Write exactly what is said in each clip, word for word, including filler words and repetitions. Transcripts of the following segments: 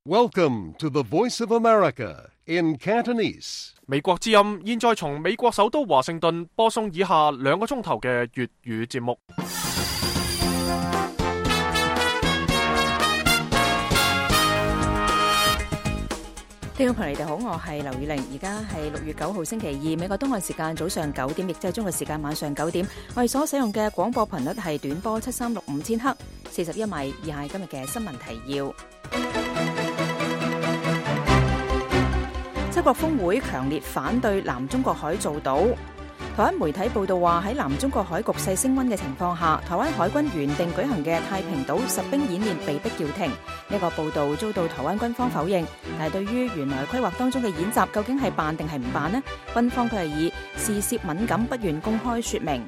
Welcome to the Voice of America in Cantonese. 美國之音現在從美國首都華盛頓播送以下兩個鐘頭嘅粵語節目。聽眾朋友，你哋好，我係劉宇玲，而家係六月九號星期二，美國東岸時間早上九點，亦即係中國時間晚上九點。我哋所使用嘅廣播頻率係短波七三六五千赫，四十一米。以下係今日嘅新聞提要。七國峰會強烈反對南中國海造島。台灣媒體報道話，喺南中國海局勢升溫嘅情況下，台灣海軍原定舉行嘅太平島實兵演練被迫叫停。呢個報道遭到台灣軍方否認，但係對於原來規劃當中嘅演習究竟係辦定係唔辦呢？軍方佢係以事涉敏感不願公開說明。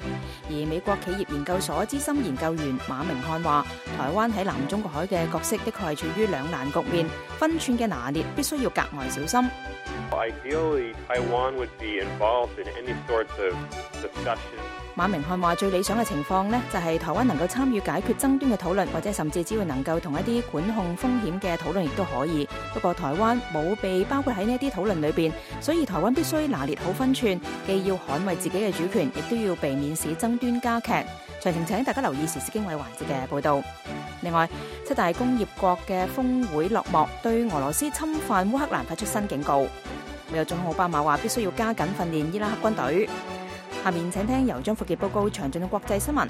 而美國企業研究所資深研究員馬明漢話，台灣喺南中國海嘅角色的確係處於兩難局面，分寸嘅拿捏必須要格外小心。Ideally, Taiwan would be involved in any sorts of discussion. 馬明漢話，最理想嘅情況呢，就係台灣能夠參與解決爭端嘅討論，或者甚至只要能夠同一啲管控風險嘅討論亦都可以。不過台灣冇被包括喺呢一啲討論裏邊，所以台灣必須拿捏好分寸，既要捍衛自己嘅主權，亦都要避免使爭端加劇。詳情請大家留意時事經緯環節嘅報導。另外，七大工業國嘅峰會落幕，對俄羅斯侵犯烏克蘭發出新警告。美國總統奧巴馬話必須要加緊訓練伊拉克軍隊。下面請聽由張富傑報告詳盡嘅國際新聞。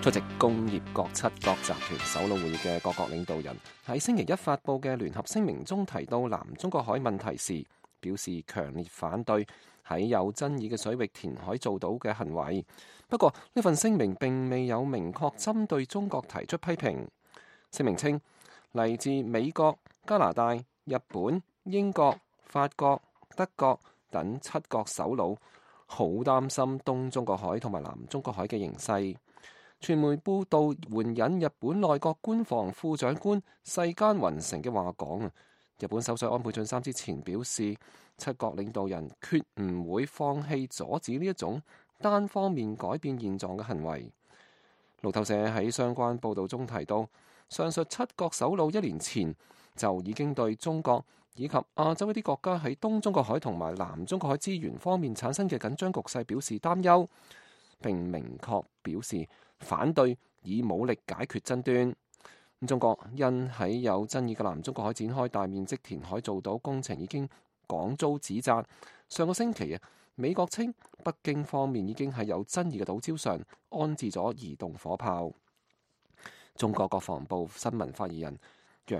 出席工業國七國集團首腦會議嘅各國領導人喺星期一發佈嘅聯合聲明中提到南中國海問題時，表示強烈反對喺有爭議嘅水域填海造島嘅行為。不過呢份聲明並未有明確針對中國提出批評。聲明稱，嚟自美國、加拿大、日本、英國、法國、德國等七國首腦好擔心東中國海同埋南中國海嘅形勢。傳媒報道援引日本內閣官房副長官世間雲成嘅話講，日本首相安倍晉三之前表示，七國領導人決唔會放棄阻止呢一種單方面改變現狀嘅行為。路透社喺相關報導中提到，上述七國首腦一年前就已經對中國以及亞洲一啲國家喺東中國海同埋南中國海資源方面產生嘅緊張局勢表示擔憂，並明確表示反對以武力解決爭端。中國因喺有爭議嘅南中國海展開大面積填海造島工程已經廣遭指責。上個星期啊，美國稱北京方面已經喺有爭議嘅島礁上安置咗移動火炮。中國國防部新聞發言人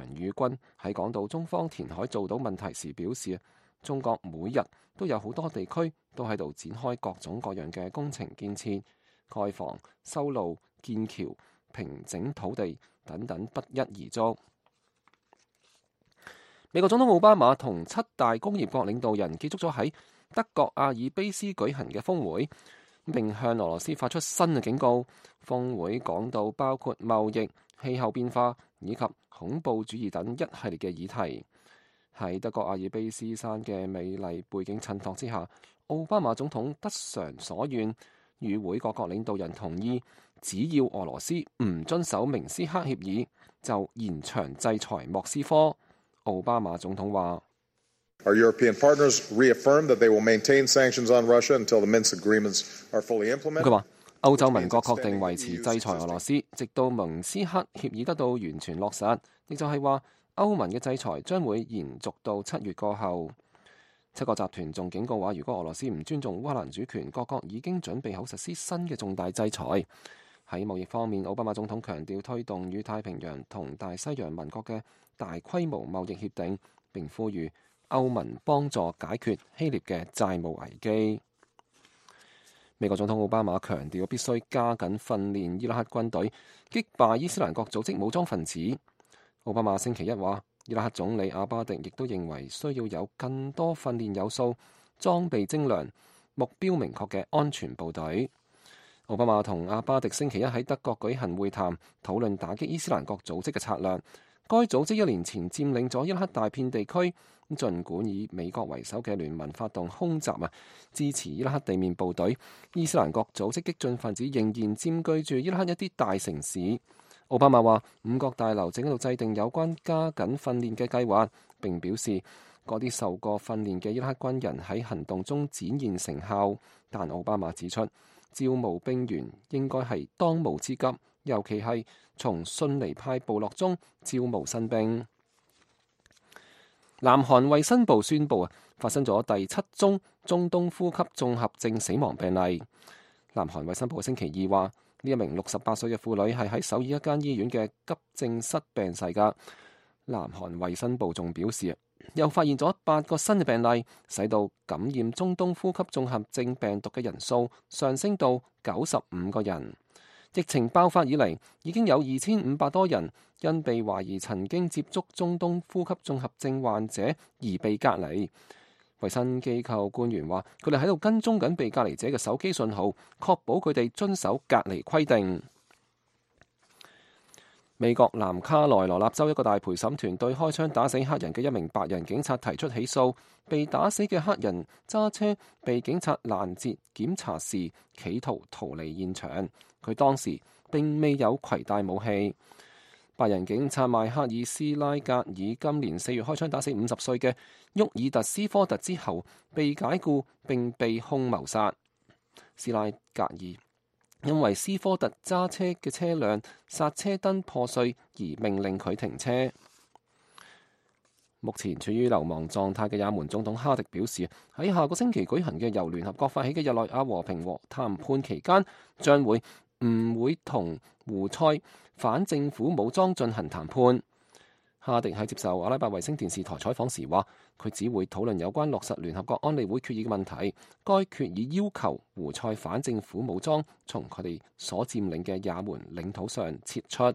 楊宇軍喺講到中方填海造島問題時表示，中國每日都有好多地區都喺度展開各種各樣嘅工程建設、蓋房、修路、建橋、平整土地等等不一而足。美國總統奧巴馬同七大工業國領導人結束咗喺德國阿爾卑斯舉行嘅峰會，並向俄羅斯發出新嘅警告。峰會講到包括貿易、氣候變化以及恐怖主義等一系列嘅議題。喺德國阿爾卑斯山嘅美麗背景襯托之下，奧巴馬總統得償所願，與會各國領導人同意，只要俄羅斯唔遵守明斯克協議，就延長制裁莫斯科。奧巴馬總統話：Our European partners reaffirm that they will maintain sanctions on Russia until the Minsk agreements are fully implemented. 佢話歐洲盟國確定維持制裁俄羅斯，直到明斯克協議得到完全落實。亦就係話歐盟嘅制裁將會延續到七月過後。七國集團仲警告話，如果俄羅斯唔尊重烏克蘭主權，各國已經準備好實施新嘅重大制裁。喺貿易方面，奧巴馬總統強調推動與太平洋同大西洋盟國嘅大規模貿易協定，並呼籲歐盟幫助解決希臘嘅債務危機。美國總統奧巴馬強調必須加緊訓練伊拉克軍隊，擊敗伊斯蘭國組織武裝分子。奧巴馬星期一話，伊拉克總理阿巴迪亦都認為需要有更多訓練有素、裝備精良、目標明確嘅安全部隊。奧巴馬同阿巴迪星期一喺德國舉行會談，討論打擊伊斯蘭國組織嘅策略。該組織一年前佔領咗伊拉克大片地區，儘管以美國為首嘅聯盟發動空襲啊，支持伊拉克地面部隊，伊斯蘭國組織激進分子仍然佔據住伊拉克一啲大城市。奧巴馬話五角大樓正喺度制定有關加緊訓練嘅計劃，並表示嗰啲受過訓練嘅伊拉克軍人喺行動中展現成效。但奧巴馬指出，招募兵員應該係當務之急，尤其係從遜尼派部落中招募新兵。南韓衛生部宣布啊，發生咗第七宗中東呼吸綜合症死亡病例。南韓衛生部星期二話，呢一名六十八歲嘅婦女係喺首爾一間醫院嘅急症室病逝㗎。南韓衛生部仲表示，又發現咗八個新嘅病例，使到感染中東呼吸綜合症病毒嘅人數上升到九十五個人。疫情爆發以嚟，已經有二千五百多人因被懷疑曾經接觸中東呼吸綜合症患者而被隔離。衛生機構官員話，佢哋喺度跟蹤緊被隔離者嘅手機信號，確保佢哋遵守隔離規定。美國南卡羅來納州一個大陪審團對開槍打死黑人嘅一名白人警察提出起訴。被打死嘅黑人揸車被警察攔截檢查時，企圖逃離現場。佢當時並未有攜帶武器。白人警察邁克爾斯拉格爾今年四月開槍打死五十歲嘅沃爾特斯科特之後，被解僱並被控謀殺。斯拉格爾因為斯科特揸車嘅車輛剎車燈破碎而命令佢停車。目前處於流亡狀態嘅也門總統哈迪表示，喺下個星期舉行嘅由聯合國發起嘅日內瓦和平和談判期間，將會唔會同胡塞反政府武裝進行談判。哈迪喺接受阿拉伯衛星電視台採訪時話，佢只會討論有關落實聯合國安理會決議嘅問題。該決議要求胡塞反政府武裝從佢哋所佔領嘅也門領土上撤出。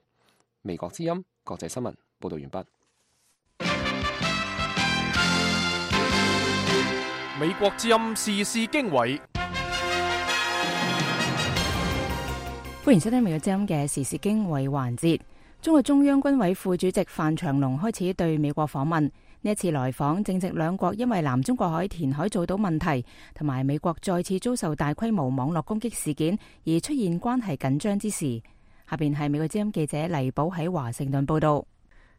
美國之音國際新聞報道完畢。美國之音時事經緯，歡迎收聽美國之音嘅時事經緯環節。中國中央軍委副主席范長龍開始對美國訪問。呢一次來訪正值兩國因為南中國海填海造島問題同埋美國再次遭受大規模網絡攻擊事件而出現關係緊張之時。下邊係美國之音記者黎寶喺華盛頓報道。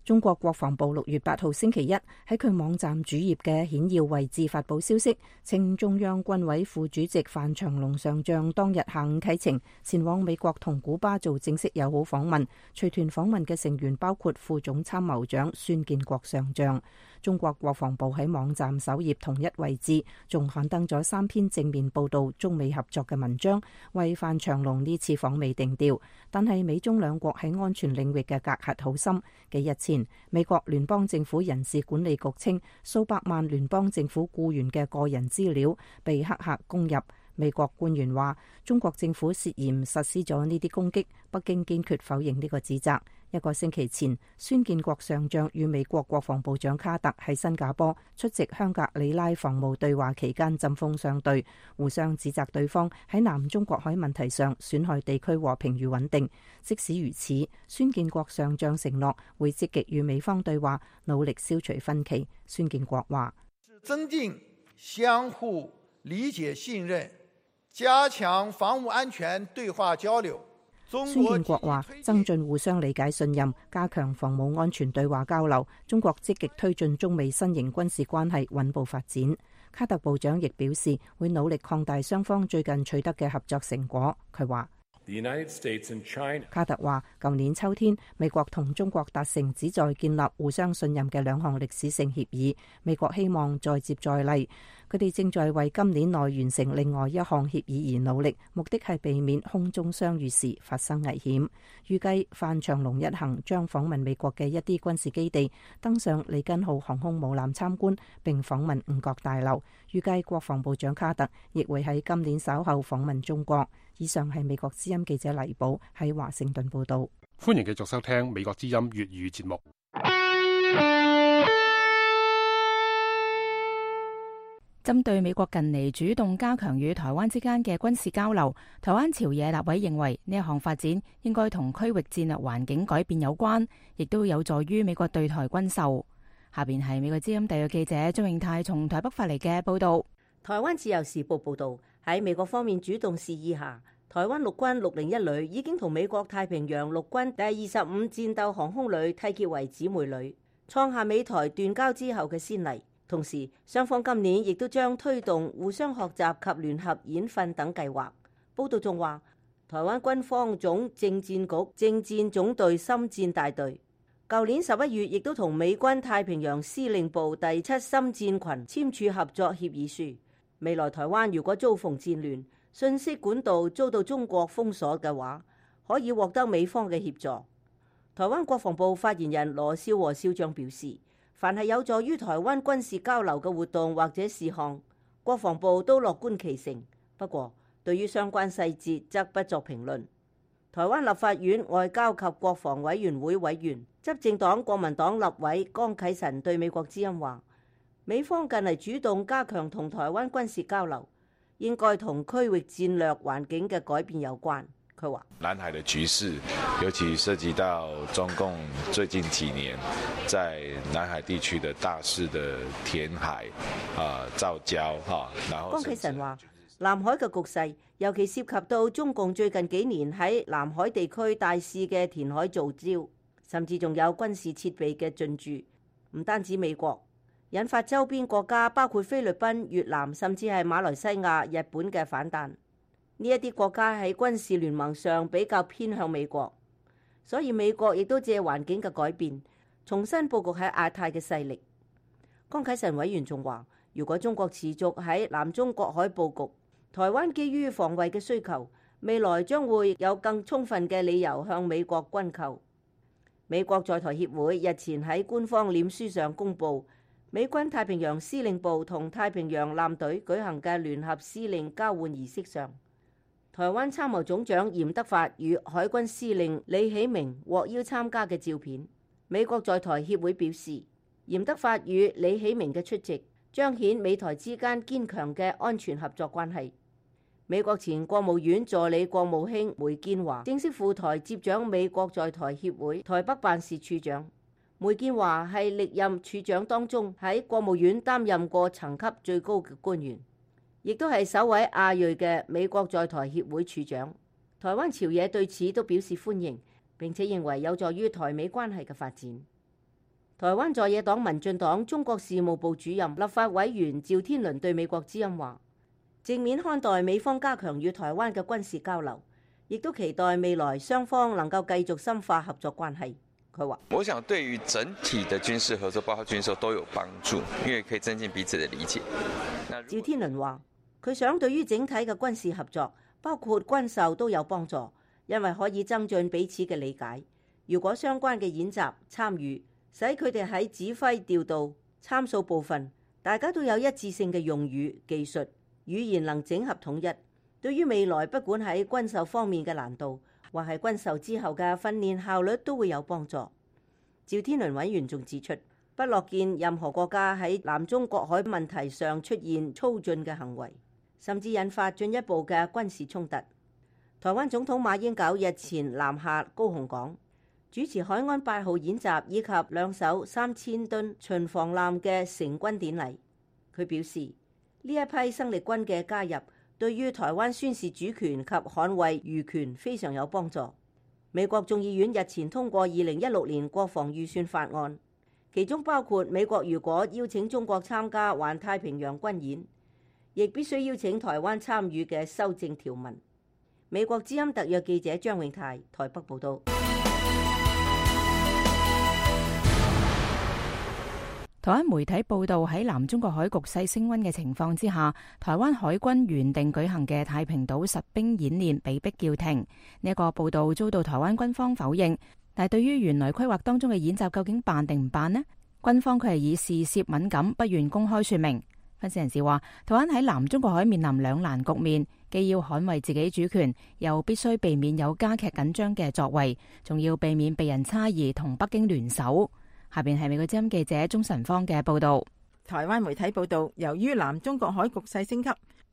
中國國防部六月八號星期一喺佢網站主頁嘅顯要位置發佈消息，稱中央軍委副主席范長龍上將當日下午啟程前往美國同古巴做正式友好訪問。隨團訪問嘅成員包括副總參謀長孫建國上將。中國國防部喺網站首頁同一位置仲刊登咗三篇正面報道中美合作嘅文章，為范長龍呢次訪美定調。但係美中兩國喺安全領域嘅隔閡好深。幾日前，美國聯邦政府人事管理局稱，數百萬聯邦政府僱員嘅個人資料被黑客攻入。美國官員話，中國政府涉嫌實施咗呢啲攻擊，北京堅決否認呢個指責。一個星期前，孫建國上將與美國國防部長卡特喺新加坡出席香格里拉防務對話期間針鋒相對，互相指責對方喺南中國海問題上損害地區和平與穩定。即使如此，孫建國上將承諾會積極與美方對話，努力消除分歧。孫建國話：增進相互理解信任，加強防務安全對話交流。孫建國話：增進互相理解信任，加強防務安全對話交流。中國積極推進中美新型軍事關係穩步發展。卡特部長亦表示會努力擴大雙方最近取得嘅合作成果。佢話：卡特話，舊年秋天，美國同中國達成旨在建立互相信任嘅兩項歷史性協議。美國希望再接再厲，佢哋正在為今年內完成另外一項協議而努力，目的係避免空中相遇時發生危險。預計范長龍一行將訪問美國嘅一啲軍事基地，登上里根號航空母艦參觀，並訪問五角大樓。預計國防部長卡特亦會喺今年稍後訪問中國。以上係美國之音記者黎寶喺華盛頓報道。歡迎繼續收聽美國之音粵語節目。針對美國近嚟主動加強與台灣之間嘅軍事交流，台灣朝野立委認為呢一項發展應該同區域戰略環境改變有關，亦都有助於美國對台軍售。下邊係美國之音特約記者張永泰從台北發嚟嘅報道。台灣自由時報報道，喺美國方面主動示意下，台灣陸軍六零一旅已經同美國太平洋陸軍第二十五戰鬥航空旅締結為姊妹旅，創下美台斷交之後嘅先例。同時，雙方今年亦都將推動互相學習及聯合演訓等計劃。報道仲話，台灣軍方總政戰局政戰總隊深戰大隊舊年十一月亦都同美軍太平洋司令部第七深戰群簽署合作協議書。未來台灣如果遭逢戰亂，信息管道遭到中國封鎖嘅話，可以獲得美方嘅協助。台灣國防部發言人羅少和少將表示，凡係有助於台灣軍事交流嘅活動或者事項，國防部都樂觀其成。不過，對於相關細節則不作評論。台灣立法院外交及國防委員會委員、執政黨國民黨立委江啟臣對美國之音話，美方近嚟主動加強同台灣軍事交流，應該同區域戰略環境嘅改變有關。佢話：南海的局勢，尤其涉及到中共最近幾年在南海地區的大肆的填海、啊造礁，哈，然後。江啟臣話：南海嘅局勢，尤其涉及到中共最近幾年喺南海地區大肆嘅填海造礁，甚至仲有軍事設備嘅進駐，唔單止美國，引發周邊國家包括菲律賓、越南，甚至係馬來西亞、日本嘅反彈。呢一啲國家喺軍事聯盟上比較偏向美國，所以美國亦都借環境嘅改變，重新佈局喺亞太嘅勢力。江啟臣委員仲話，如果中國持續喺南中國海佈局，台灣基於防衛嘅需求，未來將會有更充分嘅理由向美國軍購。美國在台協會日前喺官方臉書上公佈，美軍太平洋司令部同太平洋艦隊舉行嘅聯合司令交換儀式上，台灣參謀總長嚴德發與海軍司令李喜明獲邀參加嘅照片。美國在台協會表示，嚴德發與李喜明嘅出席彰顯美台之間堅強嘅安全合作關係。美國前國務院助理國務卿梅建華正式赴台接掌美國在台協會台北辦事處長。梅建華係歷任處長當中喺國務院擔任過層級最高嘅官員，亦都係首位亞裔嘅美國在台協會處長。台灣朝野對此都表示歡迎，並且認為有助於台美關係嘅發展。台灣在野黨民進黨中國事務部主任立法委員趙天麟對美國之音話，正面看待美方加強與台灣嘅軍事交流，亦都期待未來雙方能夠繼續深化合作關係。佢話：我想對於整體的軍事合作，包括軍售都有幫助，因為可以增進彼此的理解。趙天麟話：佢想對於整體嘅軍事合作，包括軍售都有幫助，因為可以增進彼此嘅理解。如果相關嘅演習參與，使佢哋喺指揮調度參數部分，大家都有一致性嘅用語、技術、語言能整合統一，對於未來不管喺軍售方面嘅難度，或係軍售之後嘅訓練效率都會有幫助。趙天麟委員仲指出，不樂見任何國家喺南中國海問題上出現粗進嘅行為，甚至引發進一步嘅軍事衝突。台灣總統馬英九日前南下高雄港，主持海安八號演習以及兩艘三千噸巡防艦嘅成軍典禮。佢表示，呢一批生力軍嘅加入，對於台灣宣示主權及捍衛漁權非常有幫助。美國眾議院日前通過二零一六年國防預算法案，其中包括美國如果邀請中國參加環太平洋軍演，亦必須邀請台灣參與嘅修正條文。美國之音特約記者張永泰台北報道。台灣媒體報道，喺南中國海局勢升溫嘅情況之下，台灣海軍原定舉行嘅太平島實兵演練被迫叫停。呢一個報道遭到台灣軍方否認，但係對於原來規劃當中嘅演習究竟辦定唔辦呢？軍方佢係以事涉敏感，不願公開說明。分析人士話，台灣喺南中國海面臨兩難局面，既要捍衛自己主權，又必須避免有加劇緊張嘅作為，仲要避免被人猜疑同北京聯手。下邊係美國之音記者鍾晨芳嘅報道。台灣媒體報道，由於南中國海局勢升級，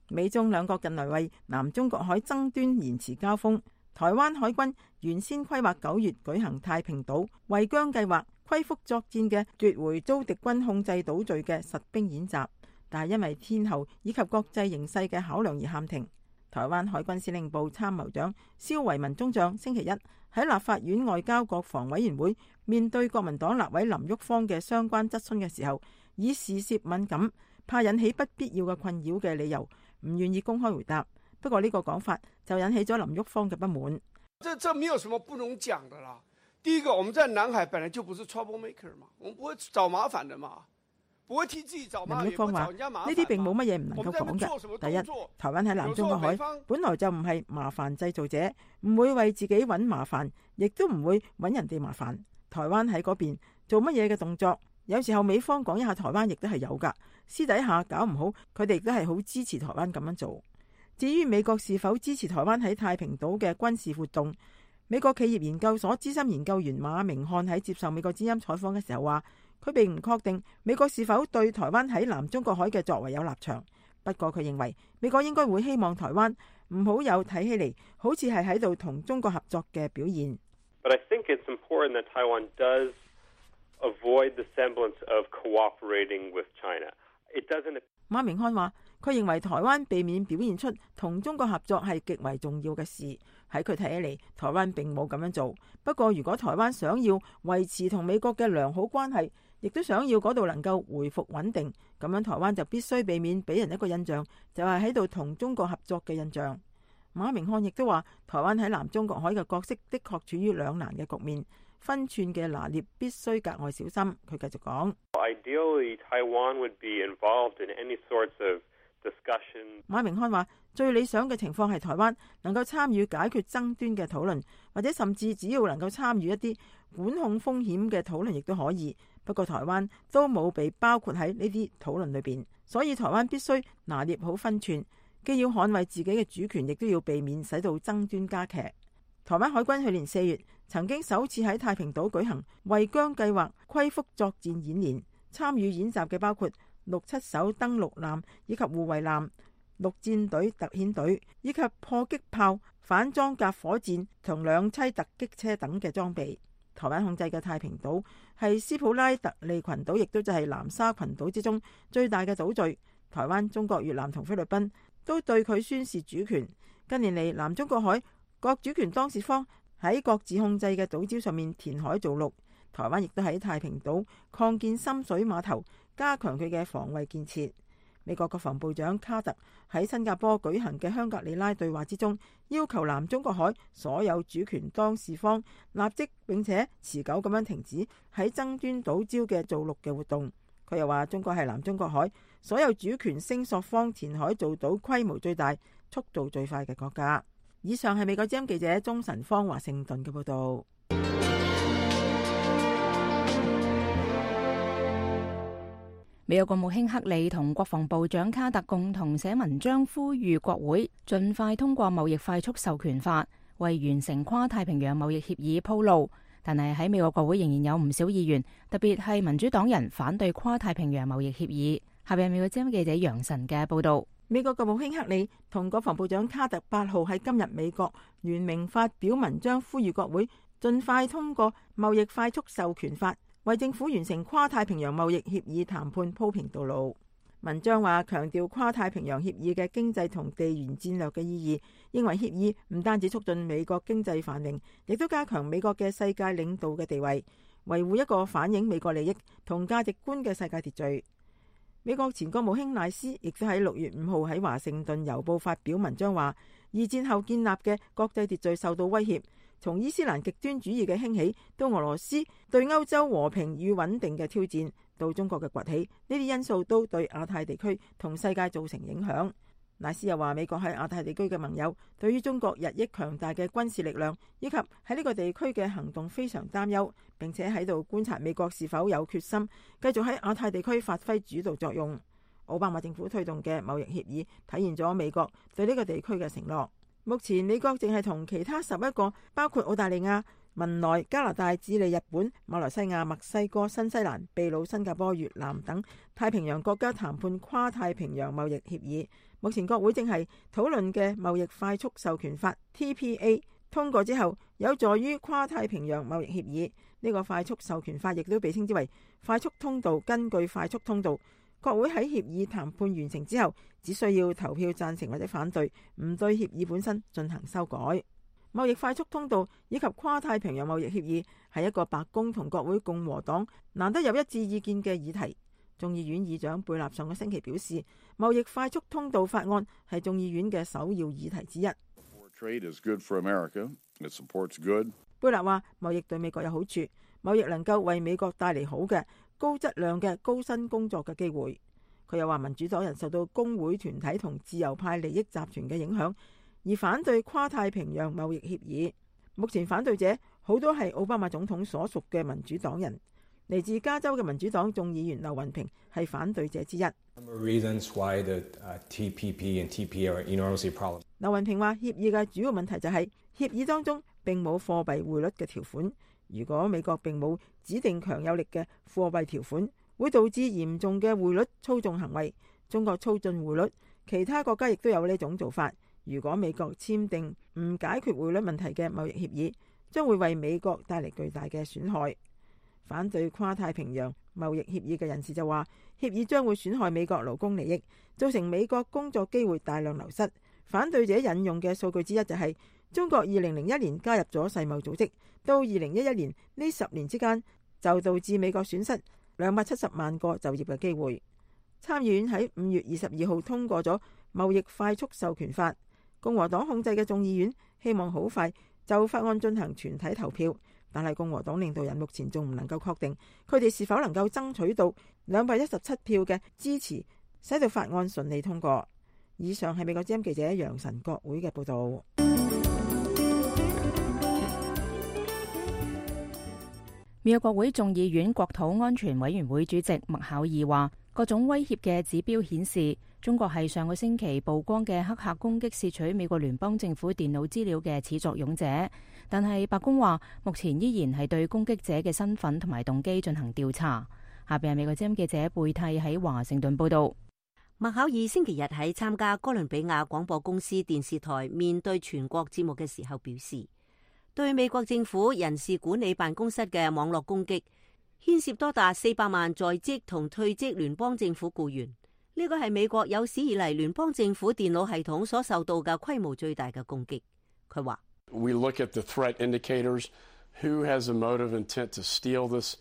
美中兩國近來為南中國海爭端延遲交鋒。台灣海軍原先規劃九月舉行太平島圍疆計劃、歸復作戰嘅奪回遭敵軍控制島嶼嘅實兵演習，但係因為天候以及國際形勢嘅考量而喊停。台灣海軍司令部參謀長蕭維文中將星期一喺立法院外交國防委員會面對國民黨立委林旭芳嘅相關質詢嘅時候，以事涉敏感、怕引起不必要嘅困擾嘅理由，唔願意公開回答。不過呢個講法就引起咗林旭芳嘅不滿。這這沒有什麼不能講的啦。第一個，我們在南海本來就不是 trouble maker 嘛，我們不會找麻煩的嘛，不會替自己找麻煩。林旭芳話：呢啲並冇乜嘢唔能夠講嘅。第一，台灣喺南中國海本來就唔係麻煩製造者，唔會為自己揾麻煩，亦都唔會揾人哋麻煩。台灣喺嗰邊做乜嘢嘅動作，有時候美方講一下台灣亦都係有㗎，私底下搞唔好，佢哋亦都係好支持台灣咁樣做。至於美國是否支持台灣喺太平島嘅軍事活動，美國企業研究所資深研究員馬明漢喺接受美國之音採訪嘅時候話，佢並唔確定美國是否對台灣喺南中國海嘅作為有立場，不過佢認為美國應該會希望台灣唔好有睇起嚟好似係喺度同中國合作嘅表現。But I think it's important that Taiwan does avoid the semblance of cooperating with China. It doesn't. 馬明漢話，佢認為台灣避免表現出同中國合作係極為重要嘅事。喺佢睇起嚟，台灣並冇咁樣做。不過如果台灣想要維持同美國嘅良好關係，亦都想要嗰度能夠回復穩定，咁樣台灣就必須避免俾人一個印象，就係喺度同中國合作嘅印象。馬明漢亦都話，台灣喺南中國海嘅角色的確處於兩難嘅局面，分寸嘅拿捏必須格外小心。佢繼續講。Ideally, Taiwan would be involved in any sorts of discussion. 馬明漢話，最理想嘅情況係台灣能夠參與解決爭端嘅討論，或者甚至只要能夠參與一啲管控風險嘅討論，亦都可以。不過台灣都冇被包括喺呢啲討論裏邊，所以台灣必須拿捏好分寸，既要捍衛自己嘅主權，亦都要避免使到爭端加劇。台灣海軍去年四月曾經首次喺太平島舉行圍疆計劃歸復作戰演練，參與演習嘅包括六七艘登陸艦以及護衛艦、陸戰隊特遣隊以及破擊炮、反裝甲火箭同兩棲突擊車等嘅裝備。台灣控制嘅太平島係斯普拉特利群島，亦都就係南沙群島之中最大嘅島嶼。台灣、中國、越南同菲律賓都對佢宣示主權。近年嚟，南中國海各主權當事方喺各自控制嘅島礁上面填海造陸，台灣亦都喺太平島擴建深水碼頭，加強佢嘅防衛建設。美國國防部長卡特喺新加坡舉行嘅香格里拉對話之中，要求南中國海所有主權當事方立即並且持久咁樣停止喺爭端島礁嘅造陸嘅活動。佢又話，中國係南中國海所有主權聲索方填海造島規模最大、速度最快嘅國家。以上係美國之音記者鍾晨芳華盛頓嘅報道。美國國務卿克里同國防部長卡特共同寫文章，呼籲國會盡快通過貿易快速授權法，為完成跨太平洋貿易協議鋪路。但係喺美國國會仍然有唔少議員，特別係民主黨人反對跨太平洋貿易協議。下邊美國之音記者楊晨嘅報道。美國國務卿克里同國防部長卡特八號喺今日美國聯名發表文章，呼籲國會盡快通過貿易快速授權法，為政府完成跨太平洋貿易協議談判鋪平道路。文章話，強調跨太平洋協議嘅經濟同地緣戰略嘅意義，認為協議唔單止促進美國經濟繁榮，亦都加強美國嘅世界領導嘅地位，維護一個反映美國利益同價值觀嘅世界秩序。美國前國務卿賴斯亦都喺六月五號喺華盛頓郵報發表文章話，二戰後建立嘅國際秩序受到威脅，從伊斯蘭極端主義嘅興起到俄羅斯對歐洲和平與穩定嘅挑戰，到中國嘅崛起，呢啲因素都對亞太地區同世界造成影響。賴斯又話，美國喺亞太地區嘅盟友對於中國日益強大嘅軍事力量以及喺呢個地區嘅行動非常擔憂，並且喺度觀察美國是否有決心繼續喺亞太地區發揮主導作用。奧巴馬政府推動嘅貿易協議體現咗美國對呢個地區嘅承諾。目前美國淨係同其他十一個包括澳大利亞、文萊、加拿大、智利、日本、馬來西亞、墨西哥、新西蘭、秘魯、新加坡、越南等太平洋國家談判跨太平洋貿易協議。目前國會正係討論嘅貿易快速授權法 T P A 通過之後，有助於跨太平洋貿易協議。呢個快速授權法亦都被稱之為快速通道。根據快速通道，國會喺協議談判完成之後，只需要投票贊成或者反對，唔對協議本身進行修改。貿易快速通道以及跨太平洋貿易協議係一個白宮同國會共和黨難得有一致意見嘅議題。眾議院議長貝納上個星期表示，貿易快速通道法案係眾議院嘅首要議題之一。貝納話：貿易對美國有好處，貿易能夠為美國帶嚟好嘅高質量嘅高薪工作嘅機會。佢又話民主黨人受到工會團體同自由派利益集團嘅影響，而反對跨太平洋貿易協議。目前反對者好多係奧巴馬總統所屬嘅民主黨人。嚟自加州嘅民主黨眾議員劉雲平係反對者之一。劉雲平話：協議嘅主要問題就係協議當中並冇貨幣匯率嘅條款。如果美國並冇指定強有力嘅貨幣條款，會導致嚴重嘅匯率操縱行為。中國操縱匯率，其他國家亦都有呢種做法。如果美國簽訂唔解決匯率問題嘅貿易協議，將會為美國帶嚟巨大嘅損害。反對跨太平洋貿易協議嘅人士就話，協議將會損害美國勞工利益，造成美國工作機會大量流失。反對者引用嘅數據之一就係、是、中國二零零一年加入咗世貿組織，到二零一一年呢十年之間就導致美國損失兩百七十萬個就業嘅機會。參議院喺五月二十二號通過咗貿易快速授權法，共和黨控制嘅眾議院希望好快就法案進行全體投票。但係共和黨領導人目前仲唔能夠確定佢哋是否能夠爭取到兩百一十七票嘅支持，使到法案順利通過。以上係美國之音記者楊晨國會嘅報道。美國國會眾議院國土安全委員會主席麥考爾話，各種威脅嘅指標顯示，中國係上個星期曝光嘅黑客攻擊竊取美國聯邦政府電腦資料嘅始作俑者。但係白宮話，目前依然係對攻擊者嘅身份同埋動機進行調查。下邊係美國之音記者貝蒂喺華盛頓報道。麥考爾星期日喺參加哥倫比亞廣播公司電視台面對全國節目嘅時候表示，對美國政府人事管理辦公室嘅網絡攻擊，牽涉多達四百萬在職同退職聯邦政府僱員。呢個係美國有史以嚟聯邦政府電腦系統所受到嘅規模最大嘅攻擊。佢話：We look at the threat indicators. Who has a motive intent to steal this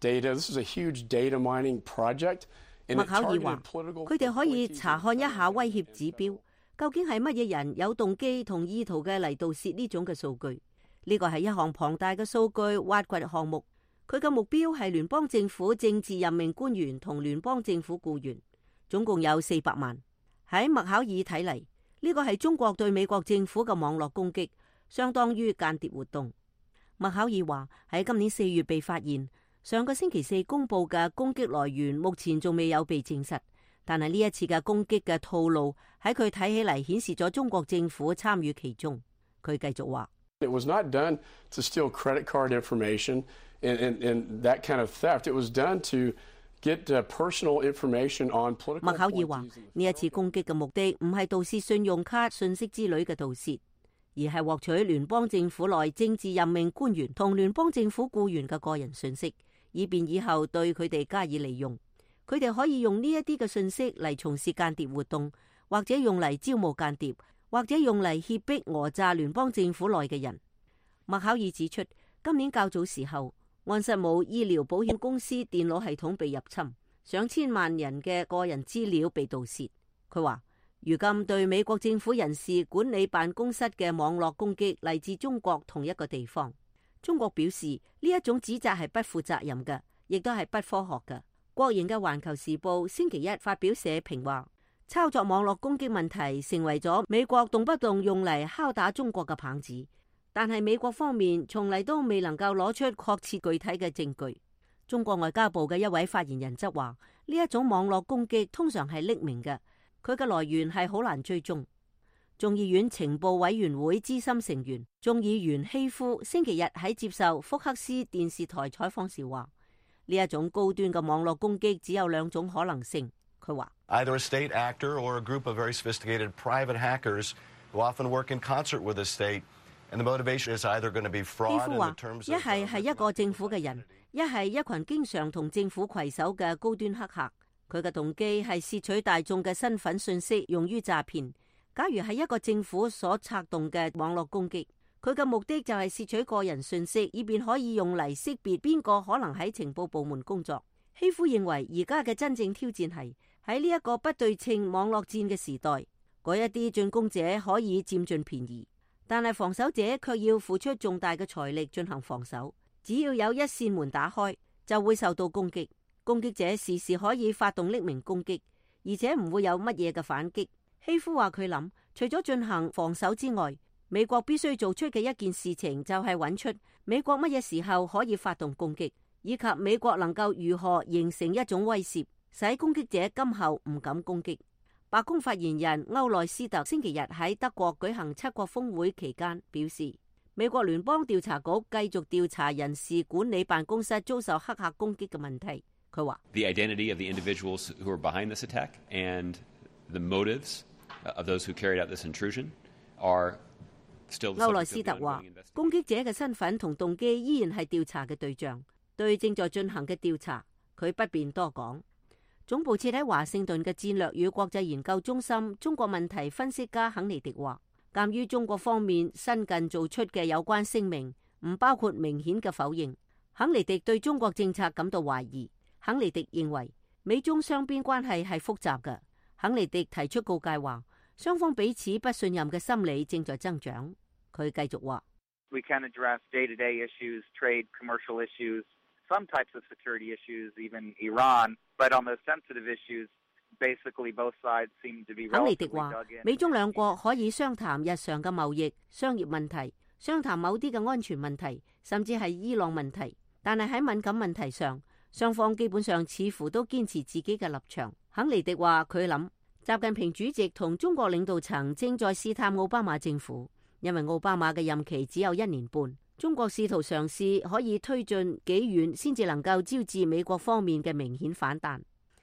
data? This is a huge data mining project. 麥考爾話：佢哋可以查看一下威脅指標，究竟係乜嘢人有動機同意圖嘅嚟盜竊呢種嘅數據。呢個係一項龐大嘅數據挖掘項目。佢嘅目標係聯邦政府政治任命官員同聯邦政府僱員，總共有四百萬。喺麥考爾睇嚟，呢個係中國對美國政府嘅網絡攻擊，相當於間諜活動。麥考爾話喺今年四月被發現，上個星期四公布嘅攻擊來源目前仲未有被證實，但係呢一次嘅攻擊嘅套路喺佢睇起嚟顯示咗中國政府參與其中。佢繼續話：It was not done to steal credit card information and and and that kind of theft. It was done to get personal information on political. 麥考爾話呢一次攻擊嘅目的唔係盜竊信用卡、信息之類嘅盜竊，而係獲取聯邦政府內政治任命官員同聯邦政府僱員嘅個人信息，以便以後對佢哋加以利用。佢哋可以用呢一啲嘅信息嚟從事間諜活動，或者用嚟招募間諜，或者用嚟脅迫訛詐聯邦政府內嘅人。麥考爾指出，今年較早時候，安瑟姆醫療保險公司電腦系統被入侵，上千萬人嘅個人資料被盜竊。佢話：如今對美國政府人事管理辦公室嘅網絡攻擊嚟自中國同一個地方。中國表示呢一種指責係不負責任嘅，亦都係不科學嘅。國營嘅環球時報星期一發表社評話，操作網絡攻擊問題成為咗美國動不動用嚟敲打中國嘅棒子，但係美國方面從嚟都未能夠攞出確切具體嘅證據。中國外交部嘅一位發言人則話，呢一種網絡攻擊通常係匿名嘅，佢嘅來源係好難追蹤。眾議院情報委員會資深成員眾議員希夫星期日喺接受福克斯電視台採訪時話：呢一種高端嘅網絡攻擊只有兩種可能性。佢話：Either a state actor or a group of very sophisticated private hackers who often work in concert with the state, and the motivation is either going to be fraud. 希夫話：一係係一個政府嘅人，一係一群經常同政府攜手嘅高端黑客。佢嘅動機係竊取大眾嘅身份信息，用於詐騙。假如係一個政府所策動嘅網絡攻擊，佢嘅目的就係竊取個人信息，以便可以用嚟識別邊個可能喺情報部門工作。希夫認為而家嘅真正挑戰係喺呢一個不對稱網絡戰嘅時代，嗰一啲進攻者可以佔盡便宜，但係防守者卻要付出重大嘅財力進行防守。只要有一扇門打開，就會受到攻擊。攻擊者時時可以發動匿名攻擊，而且唔會有乜嘢嘅反擊。希夫話佢諗，除咗進行防守之外，美國必須做出嘅一件事情就係揾出美國乜嘢時候可以發動攻擊，以及美國能夠如何形成一種威懾，使攻擊者今後唔敢攻擊。白宮發言人歐內斯特星期日喺德國舉行七國峰會期間表示，美國聯邦調查局繼續調查人事管理辦公室遭受黑客攻擊嘅問題。佢話：The identity of the individuals who are behind this attack and the motives of those who carried out this intrusion are still。歐內斯特話：攻擊者嘅身份同動機依然係調查嘅對象，對正在進行嘅調查，佢不便多講。總部設喺華盛頓嘅戰略與國際研究中心中國問題分析家肯尼迪話：鑑於中國方面新近做出嘅有關聲明，唔包括明顯嘅否認，肯尼迪對中國政策感到懷疑。肯尼迪認為美中雙邊關係係複雜嘅。肯尼迪提出告誡話，雙方彼此不信任嘅心理正在增長。佢繼續話：We can address day-to-day issues, trade, commercial issues, some types of security issues, even Iran. But on the sensitive issues, basically both sides seem to be relatively dug in. 肯尼迪話：美中兩國可以商談日常嘅貿易、商業問題，商談某啲嘅安全問題，甚至係伊朗問題。但係喺敏感問題上，雙方基本上似乎都堅持自己嘅立場。肯尼迪話：佢諗習近平主席同中國領導層正在試探奧巴馬政府，因為奧巴馬嘅任期只有一年半。中國試圖嘗試可以推進幾遠先至能夠招致美國方面嘅明顯反彈。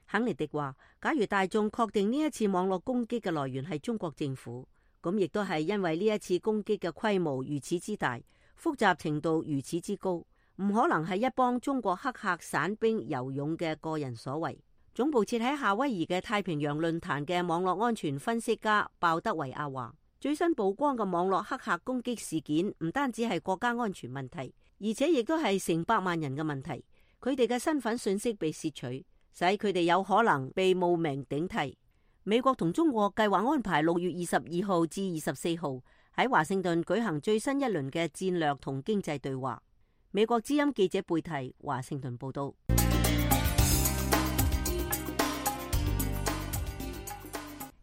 肯尼迪話：假如大眾確定呢一次網絡攻擊嘅來源係中國政府，咁亦都係因為呢一次攻擊嘅規模如此之大，複雜程度如此之高，唔可能係一幫中國黑客散兵游勇嘅個人所為。總部設喺夏威夷嘅太平洋論壇嘅網絡安全分析家鮑德維亞話：最新曝光嘅網絡黑客攻擊事件唔單止係國家安全問題，而且亦都係成百萬人嘅問題。佢哋嘅身份信息被竊取，使佢哋有可能被冒名頂替。美國同中國計劃安排六月二十二號至二十四號喺華盛頓舉行最新一輪嘅戰略同經濟對話。美國之音記者貝提華盛頓報道。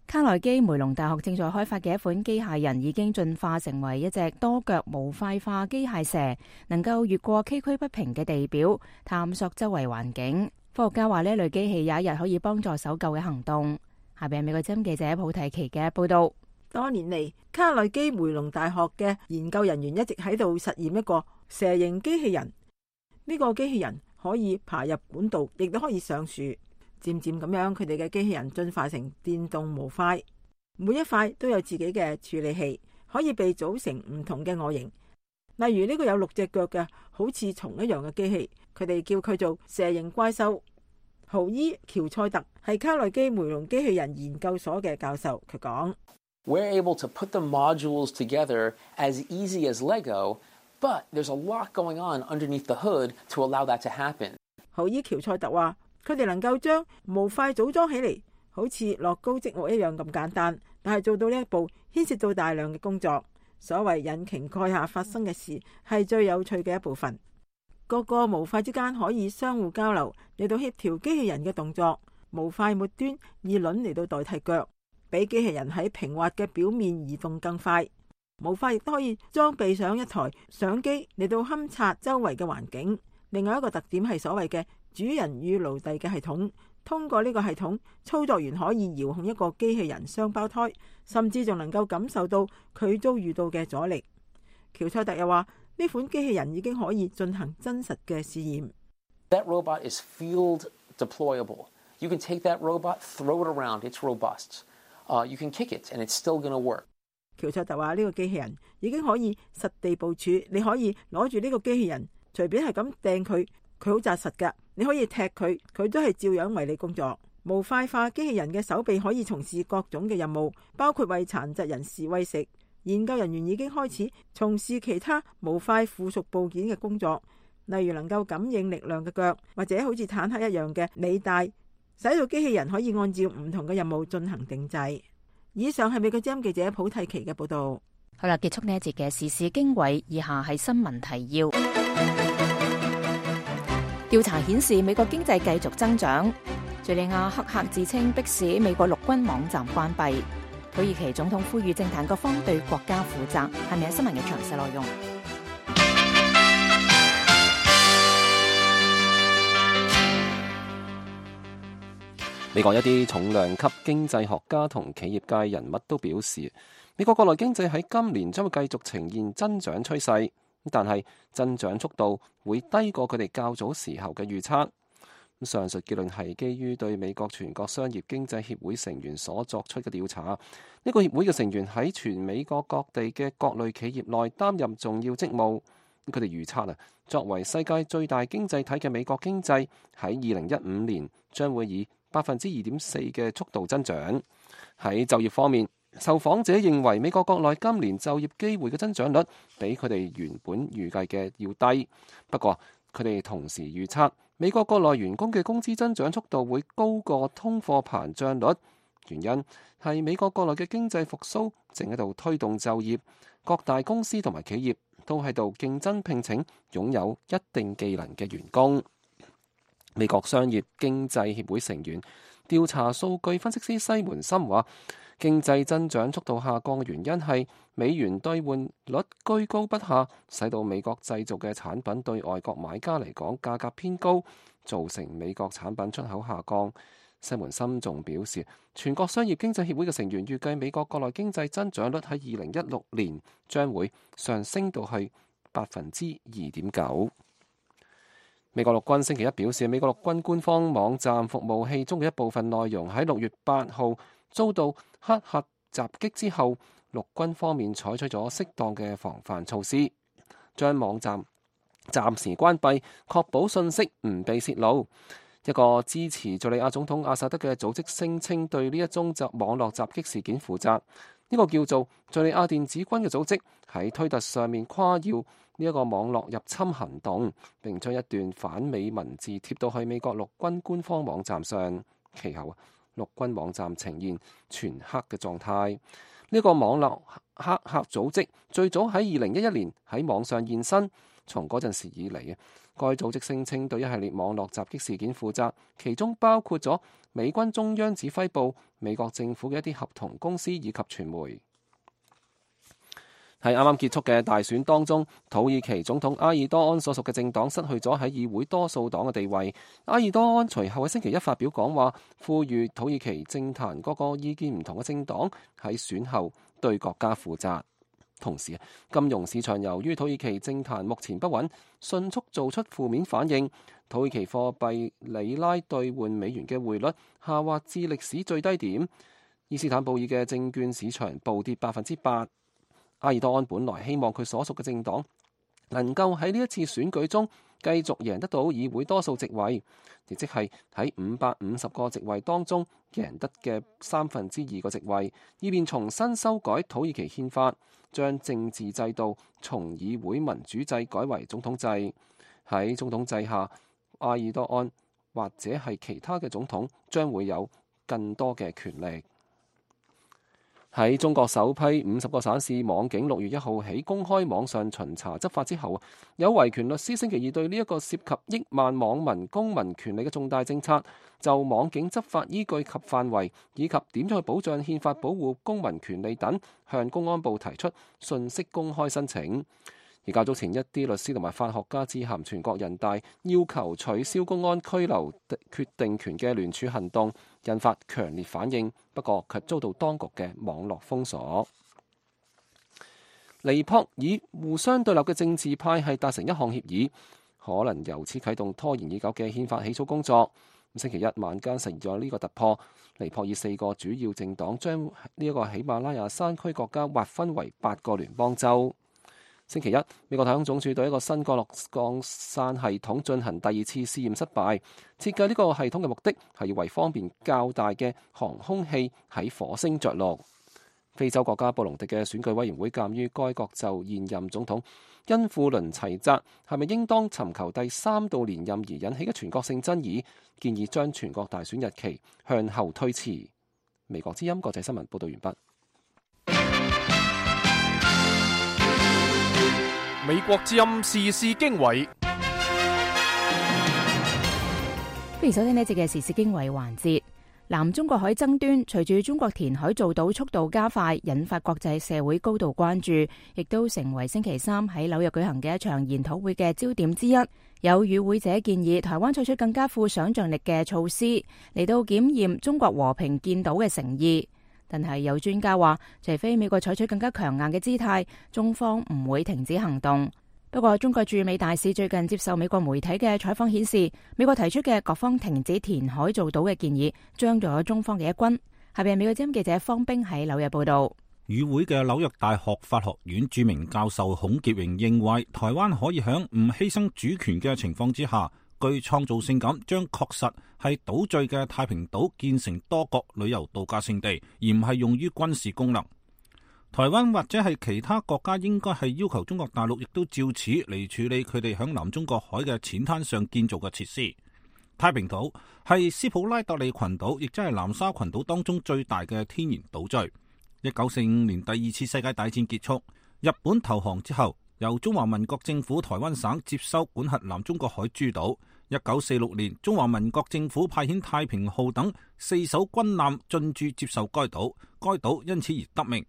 卡內基梅隆大學正在開發嘅一款機械人已經進化成為一隻多腳模塊化機械蛇，能夠越過崎嶇不平嘅地表，探索周圍環境。科學家話呢類機器有一日可以幫助搜救嘅行動。下邊係美國之音記者普提奇嘅報道。多年嚟，卡內基梅隆大學嘅研究人員一直喺度實驗一個蛇形機器人。呢個機器人可以爬入管道，亦都可以上樹。漸漸咁樣，佢哋嘅機器人進化成電動模塊，每一塊都有自己嘅處理器，可以被組成唔同嘅外形。例如呢個有六隻腳嘅好似蟲一樣嘅機器，佢哋叫佢做蛇形怪獸。豪伊喬塞特係卡內基梅隆機器人研究所嘅教授，佢講：We're able to put the modules together as easy as Lego, but there's a lot going on underneath the hood to allow that to happen. 豪伊喬塞特話：佢哋能夠將模塊組裝起嚟，好似樂高積木一樣咁簡單，但係做到呢一步牽涉到大量嘅工作。所謂引擎蓋下發生嘅事係最有趣嘅一部分。各個模塊之間可以相互交流，嚟到協調機器人嘅動作。模塊末端以輪嚟到代替腳，俾機器人喺平滑嘅表面移動更快。模塊亦都可以裝備上一台相機嚟到勘察周圍嘅環境。另外一個特點係所謂嘅主人與奴隸嘅系統，通過呢個系統，操作員可以遙控一個機器人雙胞胎，甚至仲能夠感受到佢遭遇到嘅阻力。喬塞特又話，呢款機器人已經可以進行真實嘅試驗。That robot is field deployable. You can take that robot, throw it around. It's robust. Uh, you can kick it, and it's still going to work. 喬塞特話：呢個機器人已經可以實地部署，你可以攞住呢個機器人，隨便係咁掟佢，佢好紮實㗎。你可以踢佢，佢都係照樣為你工作。模塊化機器人嘅手臂可以從事各種嘅任務，包括為殘疾人士餵食。研究人員已經開始從事其他模塊附屬部件嘅工作，例如能夠感應力量嘅腳，或者好似坦克一樣嘅履帶，使到機器人可以按照唔同嘅任務進行定制。以上係美國之音記者普蒂奇嘅報道。好啦，結束呢一節嘅時事經緯，以下係新聞提要。調查顯示美國經濟繼續增長。敘利亞黑客自稱迫使美國陸軍網站關閉。土耳其總統呼籲政壇各方對國家負責。係咪有新聞嘅詳細內容？美國一啲重量級經濟學家同企業界人物都表示，美國國內經濟喺今年將會繼續呈現增長趨勢，但係增長速度會低過佢哋較早時候嘅預測。上述結論係基於對美國全國商業經濟協會成員所作出嘅調查。呢個協會嘅成員喺全美國各地嘅各類企業內擔任重要職務。佢哋預測啊，作為世界最大經濟體嘅美國經濟喺二零一五年將會以百分之二點四嘅速度增長。喺就業方面，受訪者認為美國國內今年就業機會嘅增長率比佢哋原本預計嘅要低。不過佢哋同時預測美國國內員工嘅工資增長速度會高過通貨膨脹率，原因係美國國內嘅經濟復甦正喺度推動就業，各大公司同埋企業都喺度競爭聘請擁有一定技能嘅員工。美國商業經濟協會成員調查數據分析師西門森話，經濟增長速度下降嘅原因係美元兌換率居高不下，使到美國製造嘅產品對外國買家嚟講價格偏高，造成美國產品出口下降。西門森仲表示，全國商業經濟協會嘅成員預計美國國內經濟增長率喺二零一六年將會上升到去百分之二點九。美國陸軍星期一表示，美國陸軍官方網站服務器中嘅一部分內容喺六月八號遭到黑客襲擊之後，陸軍方面採取咗適當嘅防範措施，將網站暫時關閉，確保信息唔被泄露。一個支持敘利亞總統阿薩德嘅組織聲稱對呢一宗襲網絡襲擊事件負責。呢個叫做敘利亞電子軍嘅組織喺推特上面誇耀呢一個網絡入侵行動，並將一段反美文字貼到去美國陸軍官方網站上。其後陸軍網站呈現全黑嘅狀態。呢個網絡黑客組織最早喺二零一一年喺網上現身，從嗰陣時以嚟，該組織聲稱對一系列網絡襲擊事件負責，其中包括咗美軍中央指揮部、美國政府嘅一啲合同公司以及傳媒。喺啱啱結束嘅大選當中，土耳其總統埃爾多安所屬嘅政黨失去咗喺議會多數黨嘅地位。埃爾多安隨後喺星期一發表講話，呼籲土耳其政壇各個意見唔同嘅政黨喺選後對國家負責。同時，金融市場由於土耳其政壇目前不穩，迅速做出負面反應。土耳其貨幣里拉兌換美元嘅匯率下滑至歷史最低點。伊斯坦布爾嘅證券市場暴跌百分之八。埃爾多安本來希望佢所屬嘅政黨能夠喺呢一次選舉中繼續贏得到議會多數席位，亦即係喺五百五十個席位當中贏得嘅三分之二個席位，以便重新修改土耳其憲法，將政治制度從議會民主制改為總統制。喺總統制下，埃爾多安或者係其他嘅總統將會有更多嘅權力。喺中國首批五十個省市網警六月一號起公開網上巡查執法之後，有維權律師星期二對呢一個涉及億萬網民公民權利嘅重大政策，就網警執法依據及範圍以及點樣去保障憲法保護公民權利等，向公安部提出信息公開申請。而較早前一啲律師同埋法學家致函全國人大，要求取消公安拘留決定權嘅聯署行動，引發強烈反應，不過卻遭到當局嘅網絡封鎖。尼泊爾互相對立嘅政治派係達成一項協議，可能由此啟動拖延已久嘅憲法起草工作。星期一晚間實現咗呢個突破，尼泊爾四個主要政黨將呢一個喜馬拉雅山區國家劃分為八個聯邦州。星期一，美國太空總署對一個新降落降傘系統進行第二次試驗失敗。設計呢個系統嘅目的係要為方便較大嘅航空器喺火星着陸。非洲國家布隆迪嘅選舉委員會鑑於該國就現任總統因富倫齊澤係咪應當尋求第三度連任而引起嘅全國性爭議，建議將全國大選日期向後推遲。美國之音國際新聞報道完畢。美國之音時事經緯，歡迎收聽呢一節嘅時事經緯環節。南中國海爭端隨住中國填海造島速度加快，引發國際社會高度關注，亦都成為星期三喺紐約舉行嘅一場研討會嘅焦點之一。有與會者建議台灣採取更加富想像力嘅措施嚟到檢驗中國和平建島嘅誠意。但係有專家話，除非美國採取更加強硬嘅姿態，中方唔會停止行動。不過，中國駐美大使最近接受美國媒體嘅採訪顯示，美國提出嘅各方停止填海造島嘅建議，將咗中方嘅一軍。下邊美國之音記者方冰喺紐約報道。與會嘅紐約大學法學院著名教授孔傑榮認為，台灣可以喺唔犧牲主權嘅情況之下，具創造性咁將確實係島嶼嘅太平島建成多國旅遊度假勝地，而唔係用於軍事功能。台灣或者係其他國家應該係要求中國大陸亦都照此嚟處理佢哋響南中國海嘅淺灘上建造嘅設施。太平島係斯普拉特利群島，亦即係南沙群島當中最大嘅天然島嶼。一九四五年第二次世界大戰結束，日本投降之後，由中華民國政府台灣省接收管轄南中國海諸島。一九四六年，中華民國政府派遣太平號等四艘軍艦進駐接受該島，該島因此而得名。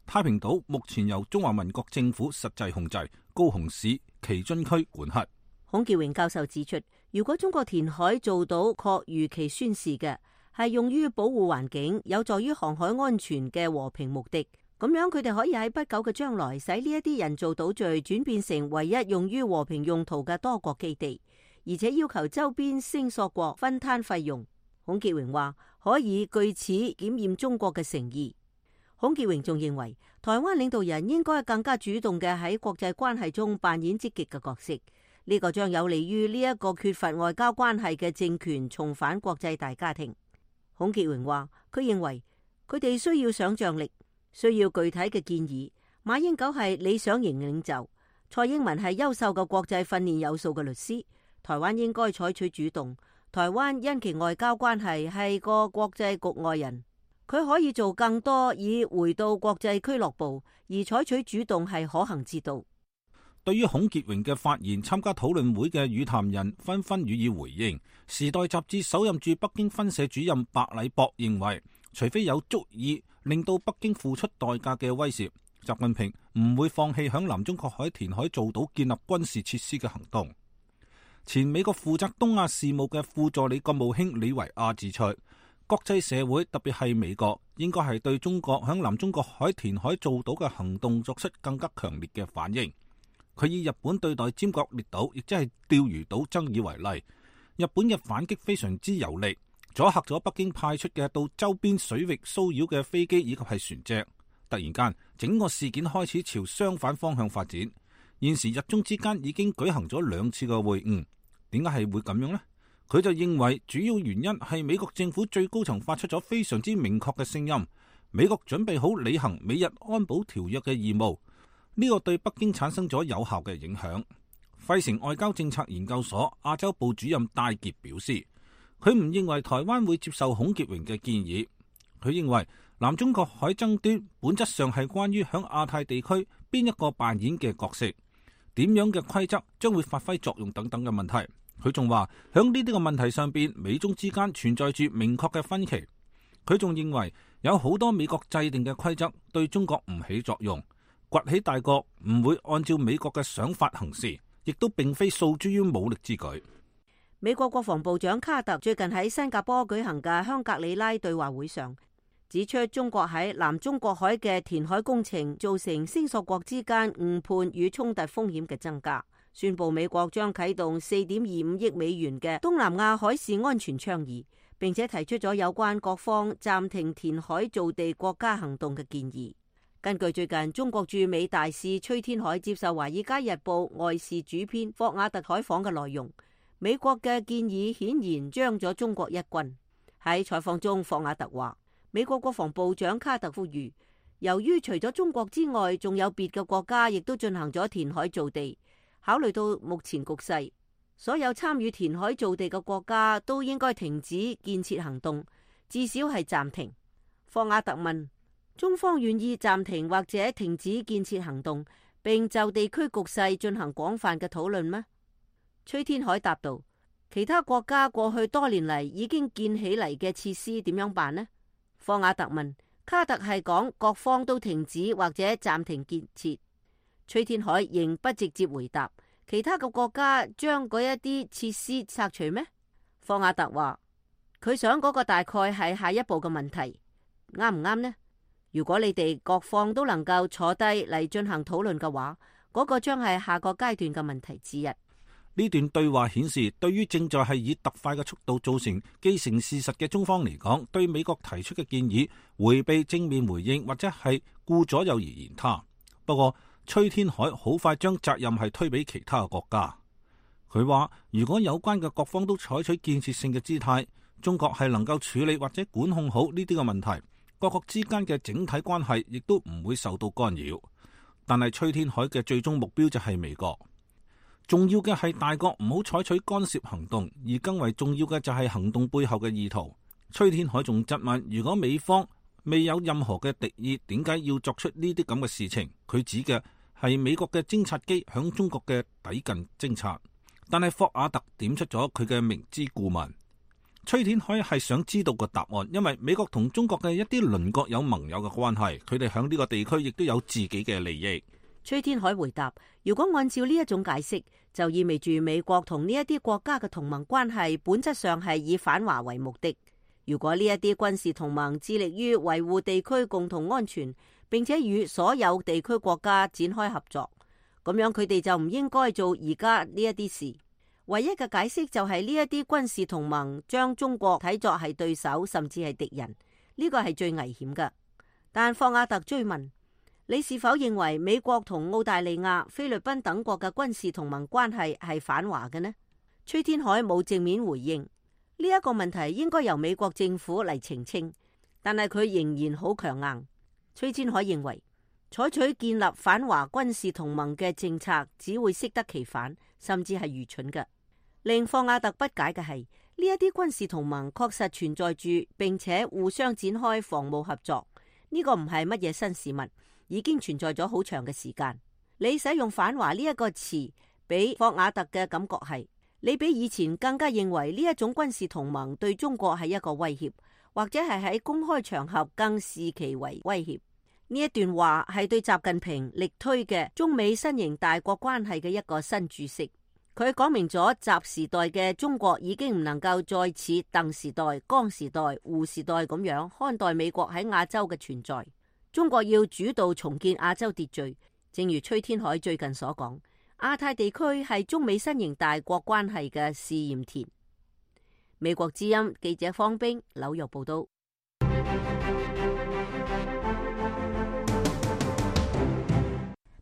太平島目前由中華民國政府實際控制，高雄市旗津區管轄。孔傑榮教授指出，如果中國填海造島確如其宣示嘅係用於保護環境、有助於航海安全嘅和平目的，咁樣佢哋可以喺不久嘅將來使呢一啲人造島嶼轉變成唯一用於和平用途嘅多國基地，而且要求周邊聲索國分攤費用。孔傑榮話可以據此檢驗中國嘅誠意。孔傑榮仲認為，台灣領導人應該更加主動嘅喺國際關係中扮演積極嘅角色，呢個將有利於呢一個缺乏外交關係嘅政權重返國際大家庭。孔傑榮話，佢認為佢哋需要想象力，需要具體嘅建議。馬英九係理想型領袖，蔡英文係優秀嘅國際訓練有素嘅律師。台灣應該採取主動。台灣因其外交關係係個國際局外人。佢可以做更多以回到國際俱樂部，而採取主動係可行之道。對於孔傑榮嘅發言，參加討論會嘅與談人紛紛予以回應。時代雜誌首任駐北京分社主任白禮博認為，除非有足以令到北京付出代價嘅威懾，習近平唔會放棄響南中國海填海造島建立軍事設施嘅行動。前美國負責東亞事務嘅副助理國務卿李維亞指出，國際社會特別係美國應該係對中國響南中國海填海造島嘅行動作出更加強烈嘅反應。佢以日本對待尖閣列島，亦即係釣魚島爭議為例，日本嘅反擊非常之有力，阻嚇咗北京派出嘅到周邊水域騷擾嘅飛機以及係船隻。突然間，整個事件開始朝相反方向發展。現時日中之間已經舉行咗兩次嘅會晤，點解係會咁樣呢？佢就認為主要原因係美國政府最高層發出咗非常之明確嘅聲音，美國準備好履行美日安保條約嘅義務，呢個對北京產生咗有效嘅影響。費城外交政策研究所亞洲部主任戴傑表示，佢唔認為台灣會接受孔傑榮嘅建議。佢認為南中國海爭端本質上係關於響亞太地區邊一個扮演嘅角色，點樣嘅規則將會發揮作用等等嘅問題。佢仲話響呢啲個問題上邊，美中之間存在住明確嘅分歧。佢仲認為有好多美國制定嘅規則對中國唔起作用，崛起大國唔會按照美國嘅想法行事，亦都並非訴諸於武力之舉。美國國防部長卡特最近喺新加坡舉行嘅香格里拉對話會上，指出中國喺南中國海嘅填海工程造成星索國之間誤判與衝突風險嘅增加，宣布美國將啟動四點二五億美元嘅東南亞海事安全倡議，並且提出咗有關各方暫停填海造地國家行動嘅建議。根據最近中國駐美大使崔天凱接受《華爾街日報》外事主編霍瓦特採訪嘅內容，美國嘅建議顯然將咗中國一軍。喺採訪中，霍瓦特話，美國國防部長卡特呼籲，由於除咗中國之外，仲有別嘅國家亦都進行咗填海造地，考慮到目前局勢，所有參與填海造地嘅國家都應該停止建設行動，至少係暫停。霍瓦特問，中方願意暫停或者停止建設行動，並就地區局勢進行廣泛嘅討論咩？崔天凱答道，其他國家過去多年嚟已經建起嚟嘅設施點樣辦呢？霍瓦特問，卡特係講各方都停止或者暫停建設。崔天凱仍不直接回答，其他嘅國家將嗰一啲設施拆除咩？霍瓦特話，佢想嗰個大概係下一步嘅問題，啱唔啱呢？如果你哋各方都能夠坐低嚟進行討論嘅話，嗰個將係下個階段嘅問題之一。呢段對話顯示，對於正在係以特快嘅速度造成既成事實嘅中方嚟講，對美國提出嘅建議迴避正面回應或者係顧左右而言他。不過崔天凱好快將責任係推俾其他嘅國家。佢話，如果有關嘅各方都採取建設性嘅姿態，中國係能夠處理或者管控好呢啲嘅問題，各國之間嘅整體關係亦都唔會受到干擾。但係崔天凱嘅最終目標就係美國。重要嘅係大國唔好採取干涉行動，而更為重要嘅就係行動背後嘅意圖。崔天凱仲質問，如果美方未有任何嘅敵意，點解要作出呢啲咁嘅事情？佢指嘅係美國嘅偵察機響中國嘅抵近偵察。但係霍瓦特點出咗佢嘅明知故問。崔天凱係想知道個答案，因為美國同中國嘅一啲鄰國有盟友嘅關係，佢哋響呢個地區亦都有自己嘅利益。崔天凱回答，如果按照呢一種解釋，就意味住美國同呢一啲國家嘅同盟關係本質上係以反華為目的。如果呢一啲軍事同盟致力於維護地區共同安全，並且與所有地區國家展開合作，咁樣佢哋就唔應該做而家呢一啲事。唯一嘅解釋就係呢一啲軍事同盟將中國睇作係對手，甚至係敵人，呢個係最危險嘅。但霍瓦特追問，你是否認為美國同澳大利亞、菲律賓等國嘅軍事同盟關係係反華嘅呢？崔天凱冇正面回應呢一個問題，應該由美國政府嚟澄清，但係佢仍然好強硬。崔天凱認為，採取建立反華軍事同盟嘅政策只會適得其反，甚至係愚蠢嘅。令霍瓦特不解嘅係，呢一啲軍事同盟確實存在住，並且互相展開防務合作，呢個唔係乜嘢新事物，已經存在咗好長嘅時間。你使用反華呢一個詞，俾霍瓦特嘅感覺係，你比以前更加認為呢一種軍事同盟對中國係一個威脅，或者係喺公開場合更視其為威脅。呢一段話係對習近平力推嘅中美新型大國關係嘅一個新注釋。佢講明咗習時代嘅中國已經唔能夠再似鄧時代、江時代、胡時代咁樣看待美國喺亞洲嘅存在。中國要主導重建亞洲秩序，正如崔天凱最近所講，亞太地區係中美新型大國關係嘅試驗田。美國之音記者方冰紐約報道。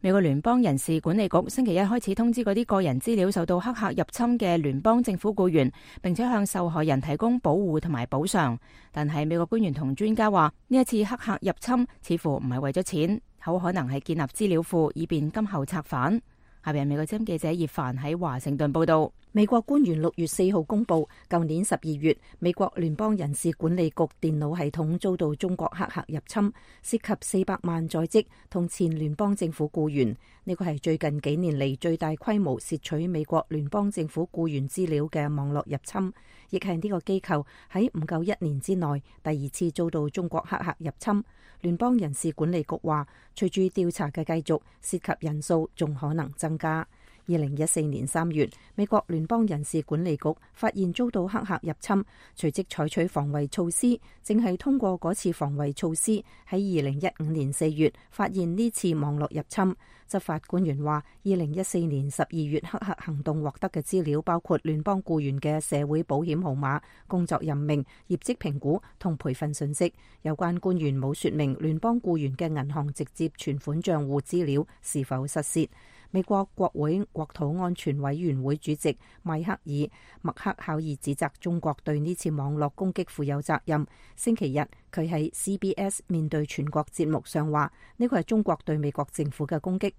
美國聯邦人事管理局星期一開始通知嗰啲個人資料受到黑客入侵嘅聯邦政府僱員，並且向受害人提供保護同埋補償。但係美國官員同專家話，呢一次黑客入侵似乎唔係為咗錢，好可能係建立資料庫以便今後策反。下邊美國之音記者葉凡喺華盛頓報道。美國官員六月四號公佈，舊年十二月，美國聯邦人事管理局電腦系統遭到中國黑客入侵，涉及四百萬在職同前聯邦政府僱員。呢個係最近幾年嚟最大規模竊取美國聯邦政府僱員資料嘅網絡入侵，亦係呢個機構喺唔夠一年之內第二次遭到中國黑客入侵。聯邦人事管理局話，隨住調查嘅繼續，涉及人數仲可能增加。二零一四年三月，美國聯邦人事管理局發現遭到黑客入侵，隨即採取防衛措施。正係通過嗰次防衛措施，喺二零一五年四月發現呢次網絡入侵。執法官員話，二零一四年十二月黑客行動獲得嘅資料包括聯邦僱員嘅社會保險號碼、工作任命、業績評估同培訓信息。有關官員冇說明聯邦僱員嘅銀行直接存款賬戶資料是否失竊。美國國會國土安全委員會主席邁克爾·麥克考爾指責中國對呢次網絡攻擊負有責任。星期日，佢喺 C B S 面對全國節目上話，呢個係中國對美國政府嘅攻擊。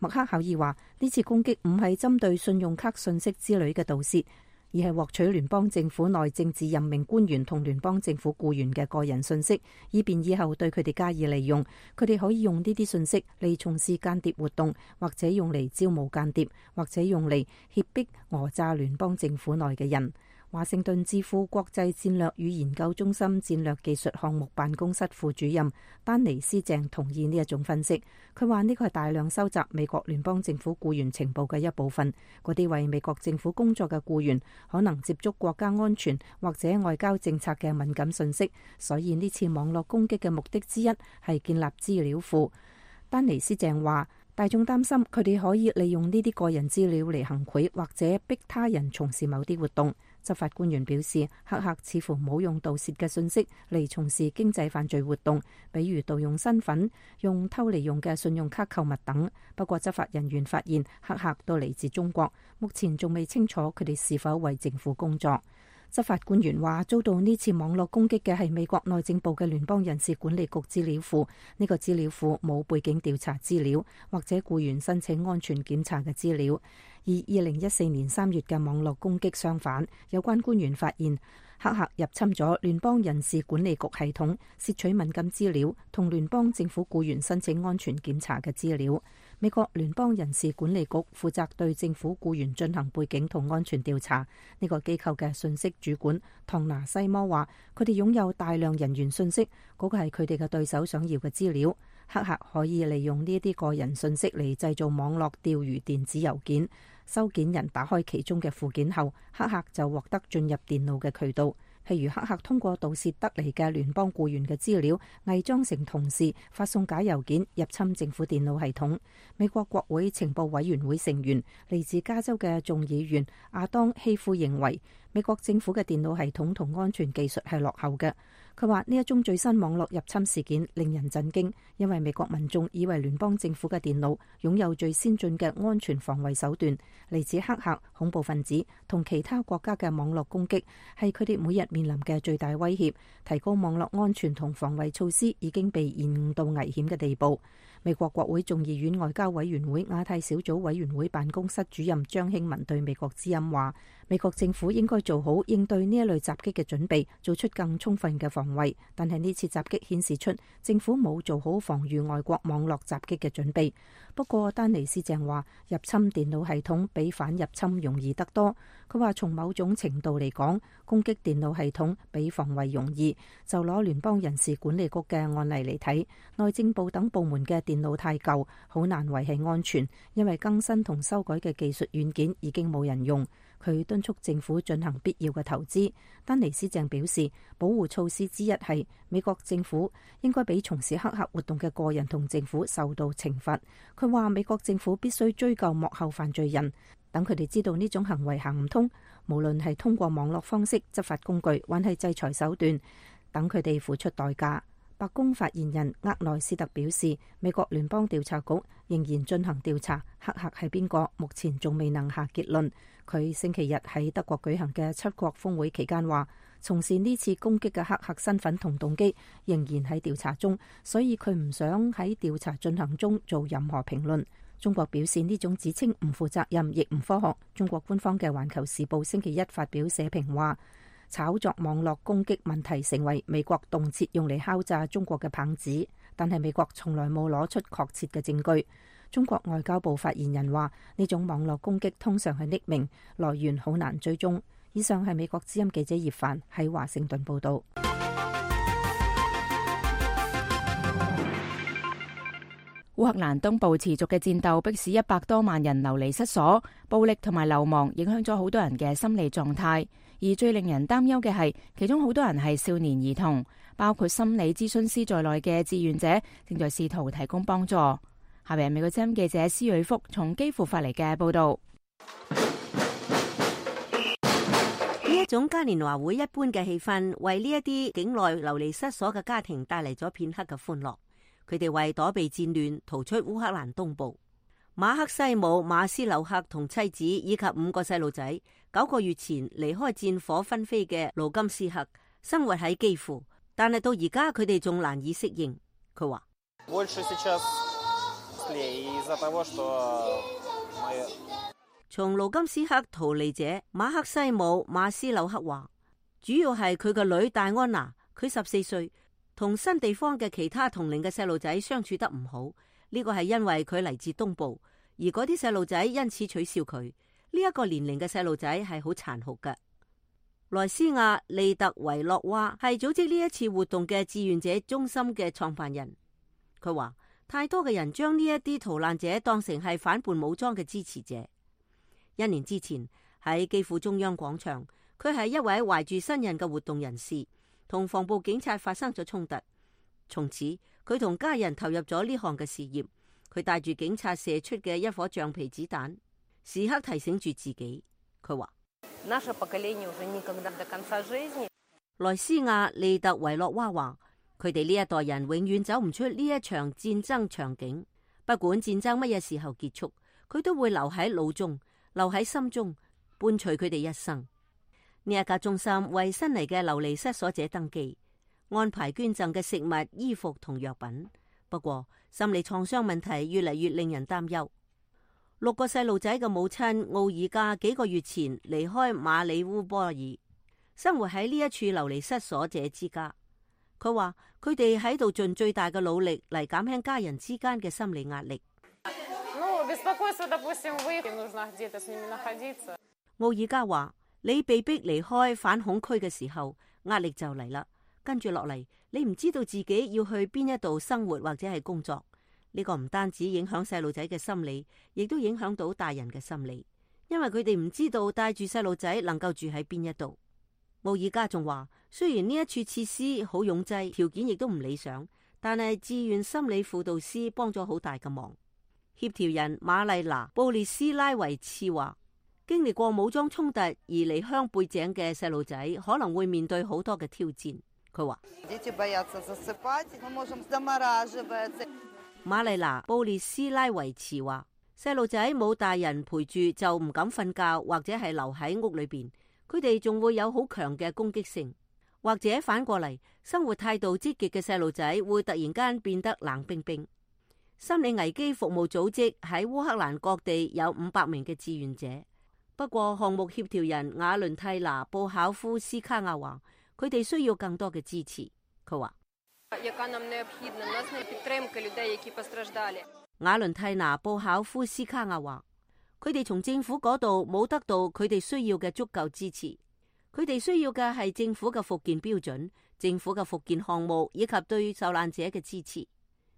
麥克考爾話，呢次攻擊唔係針對信用卡信息之類嘅盜竊，而係獲取聯邦政府內政治任命官員同聯邦政府僱員嘅個人信息，以便以後對佢哋加以利用。佢哋可以用呢啲信息嚟從事間諜活動，或者用嚟招募間諜，或者用嚟脅迫訛詐聯邦政府內嘅人。華盛頓智庫國際戰略與研究中心戰略技術項目辦公室副主任丹尼斯鄭同意呢一種分析。佢話呢個係大量收集美國聯邦政府僱員情報嘅一部分。嗰啲為美國政府工作嘅僱員可能接觸國家安全或者外交政策嘅敏感信息，所以呢次網絡攻擊嘅目的之一係建立資料庫。丹尼斯鄭話，大眾擔心佢哋可以利用呢啲個人資料嚟行賄或者逼他人從事某啲活動。執法官員表示，黑客似乎冇用盜竊嘅信息嚟從事經濟犯罪活動，比如盜用身份、用偷嚟用嘅信用卡購物等。不過執法人員發現黑客都嚟自中國，目前仲未清楚佢哋是否為政府工作。執法官員話，遭到呢次網絡攻擊嘅係美國內政部嘅聯邦人事管理局資料庫。呢個資料庫冇背景調查資料或者僱員申請安全檢查嘅資料。而二零一四年三月嘅網絡攻擊相反，有關官員發現黑客入侵咗聯邦人事管理局系統，竊取敏感資料同聯邦政府僱員申請安全檢查嘅資料。美國聯邦人事管理局負責對政府僱員進行背景同安全調查。呢個機構嘅信息主管唐拿西摩話，佢哋擁有大量人員信息，嗰個係佢哋嘅對手想要嘅資料。黑客可以利用呢啲個人信息嚟製造網絡釣魚電子郵件，收件人打開其中嘅附件後，黑客就獲得進入電腦嘅渠道。譬如黑客通過盜竊得嚟嘅聯邦僱員嘅資料，偽裝成同事發送假郵件入侵政府電腦系統。美國國會情報委員會成員嚟自加州嘅眾議員亞當希夫認為，美國政府嘅電腦系統同安全技術係落後嘅。佢話呢一宗最新網絡入侵事件令人震驚，因為美國民眾以為聯邦政府嘅電腦擁有最先進嘅安全防衛手段。嚟自黑客、恐怖分子同其他國家嘅網絡攻擊係佢哋每日面臨嘅最大威脅。提高網絡安全同防衛措施已經被延誤到危險嘅地步。美國國會眾議院外交委員會亞太小組委員會辦公室主任張興文對美國之音話，美國政府應該做好應對呢一類襲擊嘅準備，做出更充分嘅防衛。但係呢次襲擊顯示出政府冇做好防禦外國網絡襲擊嘅準備。不過丹尼斯鄭話，入侵電腦系統比反入侵容易得多。佢話從某種程度嚟講，攻擊電腦系統比防衛容易。就攞聯邦人事管理局嘅案例嚟睇，內政部等部門嘅電腦太舊，好難維繫安全，因為更新同修改嘅技術軟件已經冇人用。佢敦促政府進行必要嘅投資。丹尼斯鄭表示，保護措施之一係美國政府應該俾從事黑客活動嘅個人同政府受到懲罰。佢話美國政府必須追究幕後犯罪人，等佢哋知道呢種行為行唔通，無論係通過網絡方式、執法工具，還係制裁手段，等佢哋付出代價。白宮發言人厄內斯特表示，美國聯邦調查局仍然進行調查，黑客係邊個，目前仲未能下結論。佢星期日喺德國舉行嘅七國峰會期間話，從事呢次攻擊嘅黑客身份同動機仍然喺調查中，所以佢唔想喺調查進行中做任何評論。中國表示呢種指稱唔負責任，亦唔科學。中國官方嘅《環球時報》星期一發表社評話，炒作網絡攻擊問題成為美國動輒用嚟敲詐中國嘅棒子，但係美國從來冇攞出確切嘅證據。中國外交部發言人話，呢種網絡攻擊通常係匿名，來源好難追蹤。以上係美國之音記者葉帆喺華盛頓報道。烏克蘭東部持續嘅戰鬥迫使一百多萬人流離失所，暴力同埋流亡影響咗好多人嘅心理狀態。而最令人擔憂嘅係，其中好多人係少年兒童，包括心理諮詢師在內嘅志願者正在試圖提供幫助。下邊係美國之音記者施瑞福從基輔發嚟嘅報道。呢一種嘉年華會一般嘅氣氛，為呢一啲境內流離失所嘅家庭帶嚟咗片刻嘅歡樂。佢哋為躲避戰亂逃出烏克蘭東部。馬克西姆馬斯紐克同妻子以及五個細路仔，九個月前離開戰火紛飛嘅盧甘斯克，生活喺基輔，但係到而家佢哋仲難以適應。佢話：從盧甘斯克逃離者馬克西姆馬斯紐克話，主要係佢個女戴安娜，佢十四歲。同新地方嘅其他同齡嘅細路仔相處得唔好，呢個係因為佢嚟自東部，而嗰啲細路仔因此取笑佢。呢一個年齡嘅細路仔係好殘酷嘅。萊斯亞利特維洛娃係組織呢一次活動嘅志願者中心嘅創辦人。佢話太多嘅人將呢一啲逃難者當成係反叛武裝嘅支持者。一年之前喺基輔中央廣場，佢係一位懷住新人嘅活動人士，同防暴警察發生咗衝突，從此佢同家人投入咗呢項嘅事業。佢帶住警察射出嘅一顆橡皮子彈，時刻提醒住自己。佢話：萊斯亞利特維洛娃話，佢哋呢一代人永遠走唔出呢一場戰爭場景。不管戰爭乜嘢時候結束，佢都會留喺腦中，留喺心中，伴隨佢哋一生。呢一家中心為新嚟嘅流離失所者登記，安排捐贈嘅食物、衣服同藥品。不過心理創傷問題越嚟越令人擔憂。六個細路仔嘅母親奧爾加幾個月前離開馬里烏波爾，生活喺呢一處流離失所者之家。佢話佢哋喺度盡最大嘅努力嚟減輕家人之間嘅心理壓力。奧爾加話：你被逼離開反恐區嘅時候，壓力就嚟啦。跟住落嚟，你唔知道自己要去邊一度生活或者係工作。呢個唔單止影響細路仔嘅心理，亦都影響到大人嘅心理，因為佢哋唔知道帶住細路仔能夠住喺邊一度。奧爾加仲話，雖然呢一處設施好擁擠，條件亦都唔理想，但係志願心理輔導師幫咗好大嘅忙。協調人瑪麗娜布列斯拉維茨話：經歷過武裝衝突而離鄉背井嘅細路仔可能會面對好多嘅挑戰。佢話：瑪麗娜布列斯拉維茨話，細路仔冇大人陪住就唔敢瞓覺，或者係留喺屋裏邊。佢哋仲會有好強嘅攻擊性，或者反過嚟，生活態度積極嘅細路仔會突然間變得冷冰冰。心理危機服務組織喺烏克蘭各地有五百名嘅志願者。不過項目協調人瓦倫蒂娜布考夫斯卡亞話，佢哋需要更多嘅支持。佢話：瓦倫蒂娜布考夫斯卡亞話，佢哋從政府嗰度冇得到佢哋需要嘅足夠支持，佢哋需要嘅係政府嘅復建標準、政府嘅復建項目以及對受難者嘅支持。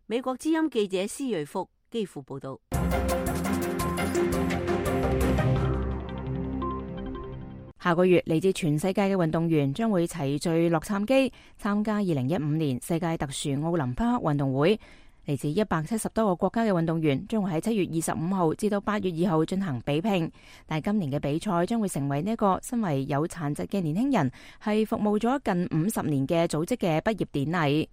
美國之音記者施瑞福基輔報道。下個月嚟自全世界嘅運動員將會齊聚洛杉磯參加二零一五年世界特殊奧林匹克運動會。嚟自一百七十多個國家嘅運動員將會喺七月二十五號至到八月二號進行比拼。但係今年嘅比賽將會成為呢一個身為有殘疾嘅年輕人係服務咗近五十年嘅組織嘅畢業典禮。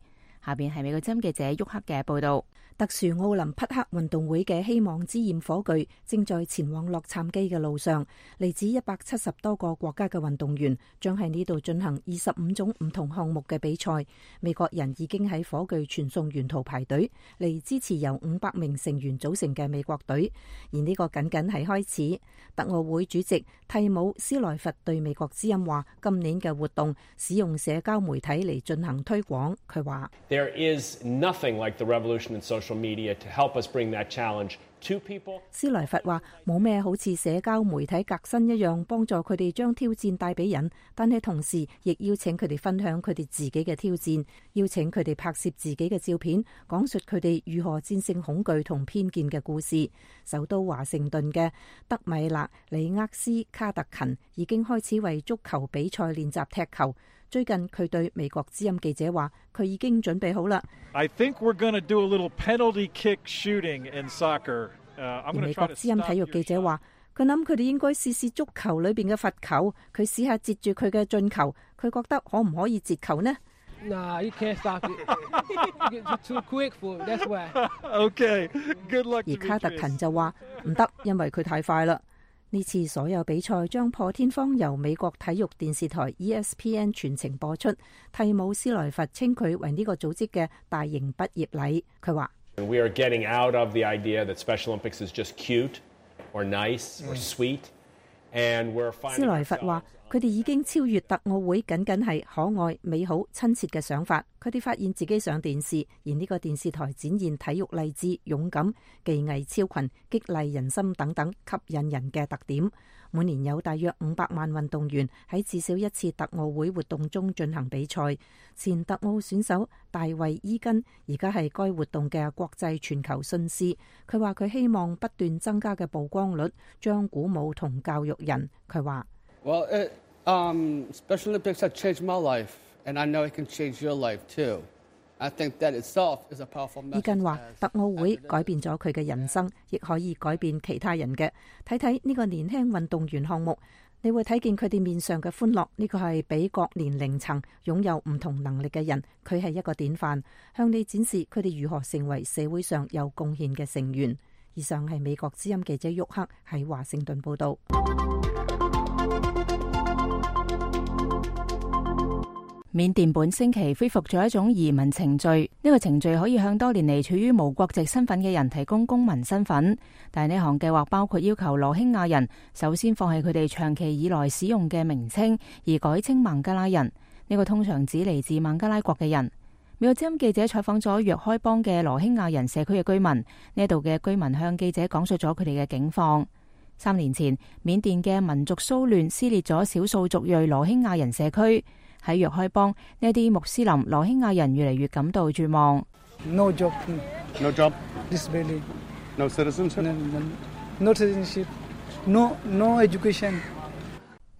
下邊係美國之音記者沃克嘅報道。特殊奧林匹克運動會嘅希望之焰火炬正在前往洛杉磯嘅路上，嚟自一百七十多個國家嘅運動員將喺呢度進行二十五種唔同項目嘅比賽。美國人已經喺火炬傳送沿途排隊嚟支持由五百名成員組成嘅美國隊，而呢個僅僅係開始。特奧會主席蒂姆斯萊佛對美國之音話：今年嘅活動使用社交媒體嚟進行推廣。佢話：There is nothing like the revolution in social media to help us bring that challenge to people. 斯萊佛話：冇咩好似社交媒體革新一樣幫助佢哋將挑戰帶俾人，但係同時亦邀請佢哋分享佢哋自己嘅挑戰，邀請佢哋拍攝自己嘅照片，講述佢哋如何戰勝恐懼同偏見嘅故事。首都華盛頓嘅德米勒里厄斯卡特勤已經開始為足球比賽練習踢球。最近佢對美國之音記者話：佢已經準備好啦。I think we're going to do a little penalty kick shooting in soccer. Uh, I'm 而美國之音體育記者話：佢諗佢哋應該試試足球裏邊嘅罰球，佢試下截住佢嘅進球，佢覺得可唔可以截球呢？ Nah, you can't stop it. You're too quick for it. That's why. Okay, good luck. 而卡特勤就話唔得，因為佢太快啦。呢次所有比賽將破天荒由美國體育電視台 E S P N 全程播出。蒂姆斯萊佛稱佢為呢個組織嘅大型畢業禮。佢話 We are getting out of the idea that Special Olympics is just cute or nice or sweet, and we're finding. 斯萊佛話：佢哋已經超越特奧會僅僅係可愛、美好、親切嘅想法。佢哋發現自己上電視，而呢個電視台展現體育勵志、勇敢、技藝超群、激勵人心等等吸引人嘅特點。每年有大約五百萬運動員喺至少一次特奧會活動中進行比賽。前特奧選手大衛伊根而家係該活動嘅國際全球信師。佢話佢希望不斷增加嘅曝光率將鼓舞同教育人。佢話：Well, it, um, Special Olympics have changed my life, and I know it can change your life too. I think that itself is a powerful message. 伊根話：特奧會改變咗佢嘅人生，亦可以改變其他人嘅。睇睇呢個年輕運動員項目，你會睇見佢哋面上嘅歡樂。呢個係俾各年齡層擁有唔同能力嘅人，佢係一個典範，向你展示佢哋如何成為社會上有貢獻嘅成員。以上係美國之音記者沃克喺華盛頓報道。緬甸本星期恢復咗一種移民程序，呢個程序可以向多年嚟處於無國籍身份嘅人提供公民身份，但係呢項計劃包括要求羅興亞人首先放棄佢哋長期以來使用嘅名稱，而改稱孟加拉人。呢個通常指嚟自孟加拉國嘅人。美國之音記者採訪咗若開邦嘅羅興亞人社區嘅居民，呢度嘅居民向記者講述咗佢哋嘅境況。三年前，緬甸嘅民族騷亂撕裂咗少數族裔羅興亞人社區。喺若開邦，呢啲穆斯林羅興亞人越嚟越感到絕望。No job, no job, disability, no citizenship, no citizenship, no no education.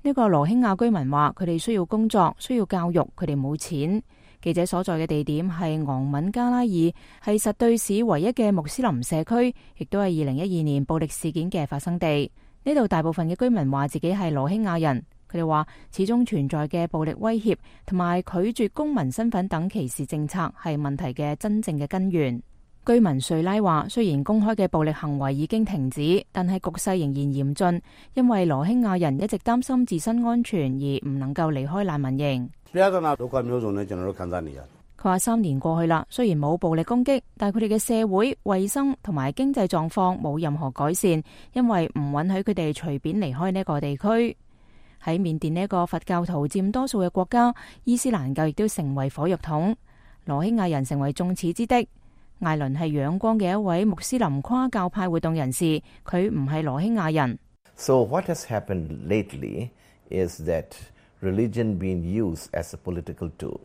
呢個羅興亞居民話：佢哋需要工作，需要教育，佢哋冇錢。記者所在嘅地點係昂敏加拉爾，係實對市唯一嘅穆斯林社區，亦都係二零一二年暴力事件嘅發生地。呢度大部分嘅居民話自己係羅興亞人。佢哋話，始終存在嘅暴力威脅同埋拒絕公民身份等歧視政策係問題嘅真正嘅根源。居民瑞拉話，雖然公開嘅暴力行為已經停止，但係局勢仍然嚴峻，因為羅興亞人一直擔心自身安全而唔能夠離開難民營。佢話三年過去啦，雖然冇暴力攻擊，但係佢哋嘅社會、衛生同埋經濟狀況冇任何改善，因為唔允許佢哋隨便離開呢個地區。喺緬甸呢一個佛教徒佔多數嘅國家，伊斯蘭教亦都成為火藥桶，羅興亞人成為眾矢之的。艾倫係仰光嘅一位穆斯林跨教派活動人士，佢唔係羅興亞人。So what has happened lately is that religion being used as a political tool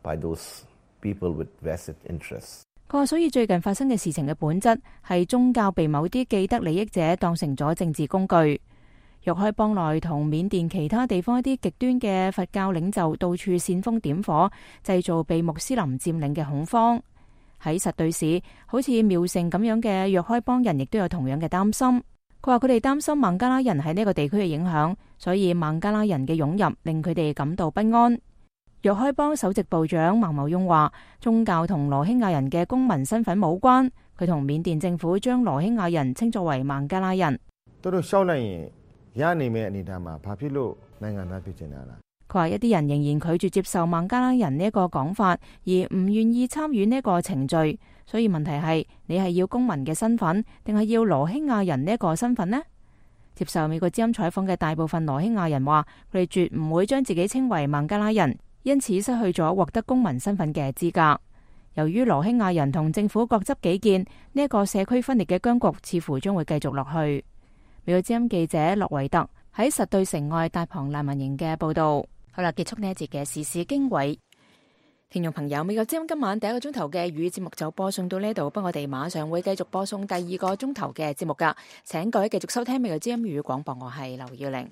by those people with vested interests. 佢話，所以最近發生嘅事情嘅本質係宗教被某啲既得利益者當成咗政治工具。若開邦內同緬甸其他地方一啲極端嘅佛教領袖到處煽風點火，製造被穆斯林佔領嘅恐慌。喺實對市，好似苗城咁樣嘅若開邦人亦都有同樣嘅擔心。佢話佢哋擔心孟加拉人喺呢個地區嘅影響，所以孟加拉人嘅湧入令佢哋感到不安。若開邦首席部長孟茂雍話：宗教同羅興亞人嘅公民身份冇關，佢同緬甸政府將羅興亞人稱作為孟加拉人。佢話一啲人仍然拒絕接受孟加拉人呢一個講法，而唔願意參與呢一個程序。所以問題係，你係要公民嘅身份，定係要羅興亞人呢一個身份呢？接受美國之音採訪嘅大部分羅興亞人話，佢哋絕唔會將自己稱為孟加拉人，因此失去咗獲得公民身份嘅資格。由於羅興亞人同政府各執己見，呢一個社區分裂嘅僵局似乎將會繼續落去。美國之音記者洛維特喺實對城外大旁難民營嘅報道。好啦，結束呢一節嘅時事經緯。聽眾朋友，美國之音今晚第一個鐘頭嘅粵語節目就播送到呢度，不過我哋馬上會繼續播送第二個鐘頭嘅節目噶，請各位繼續收聽美國之音粵語廣播，我係劉耀玲。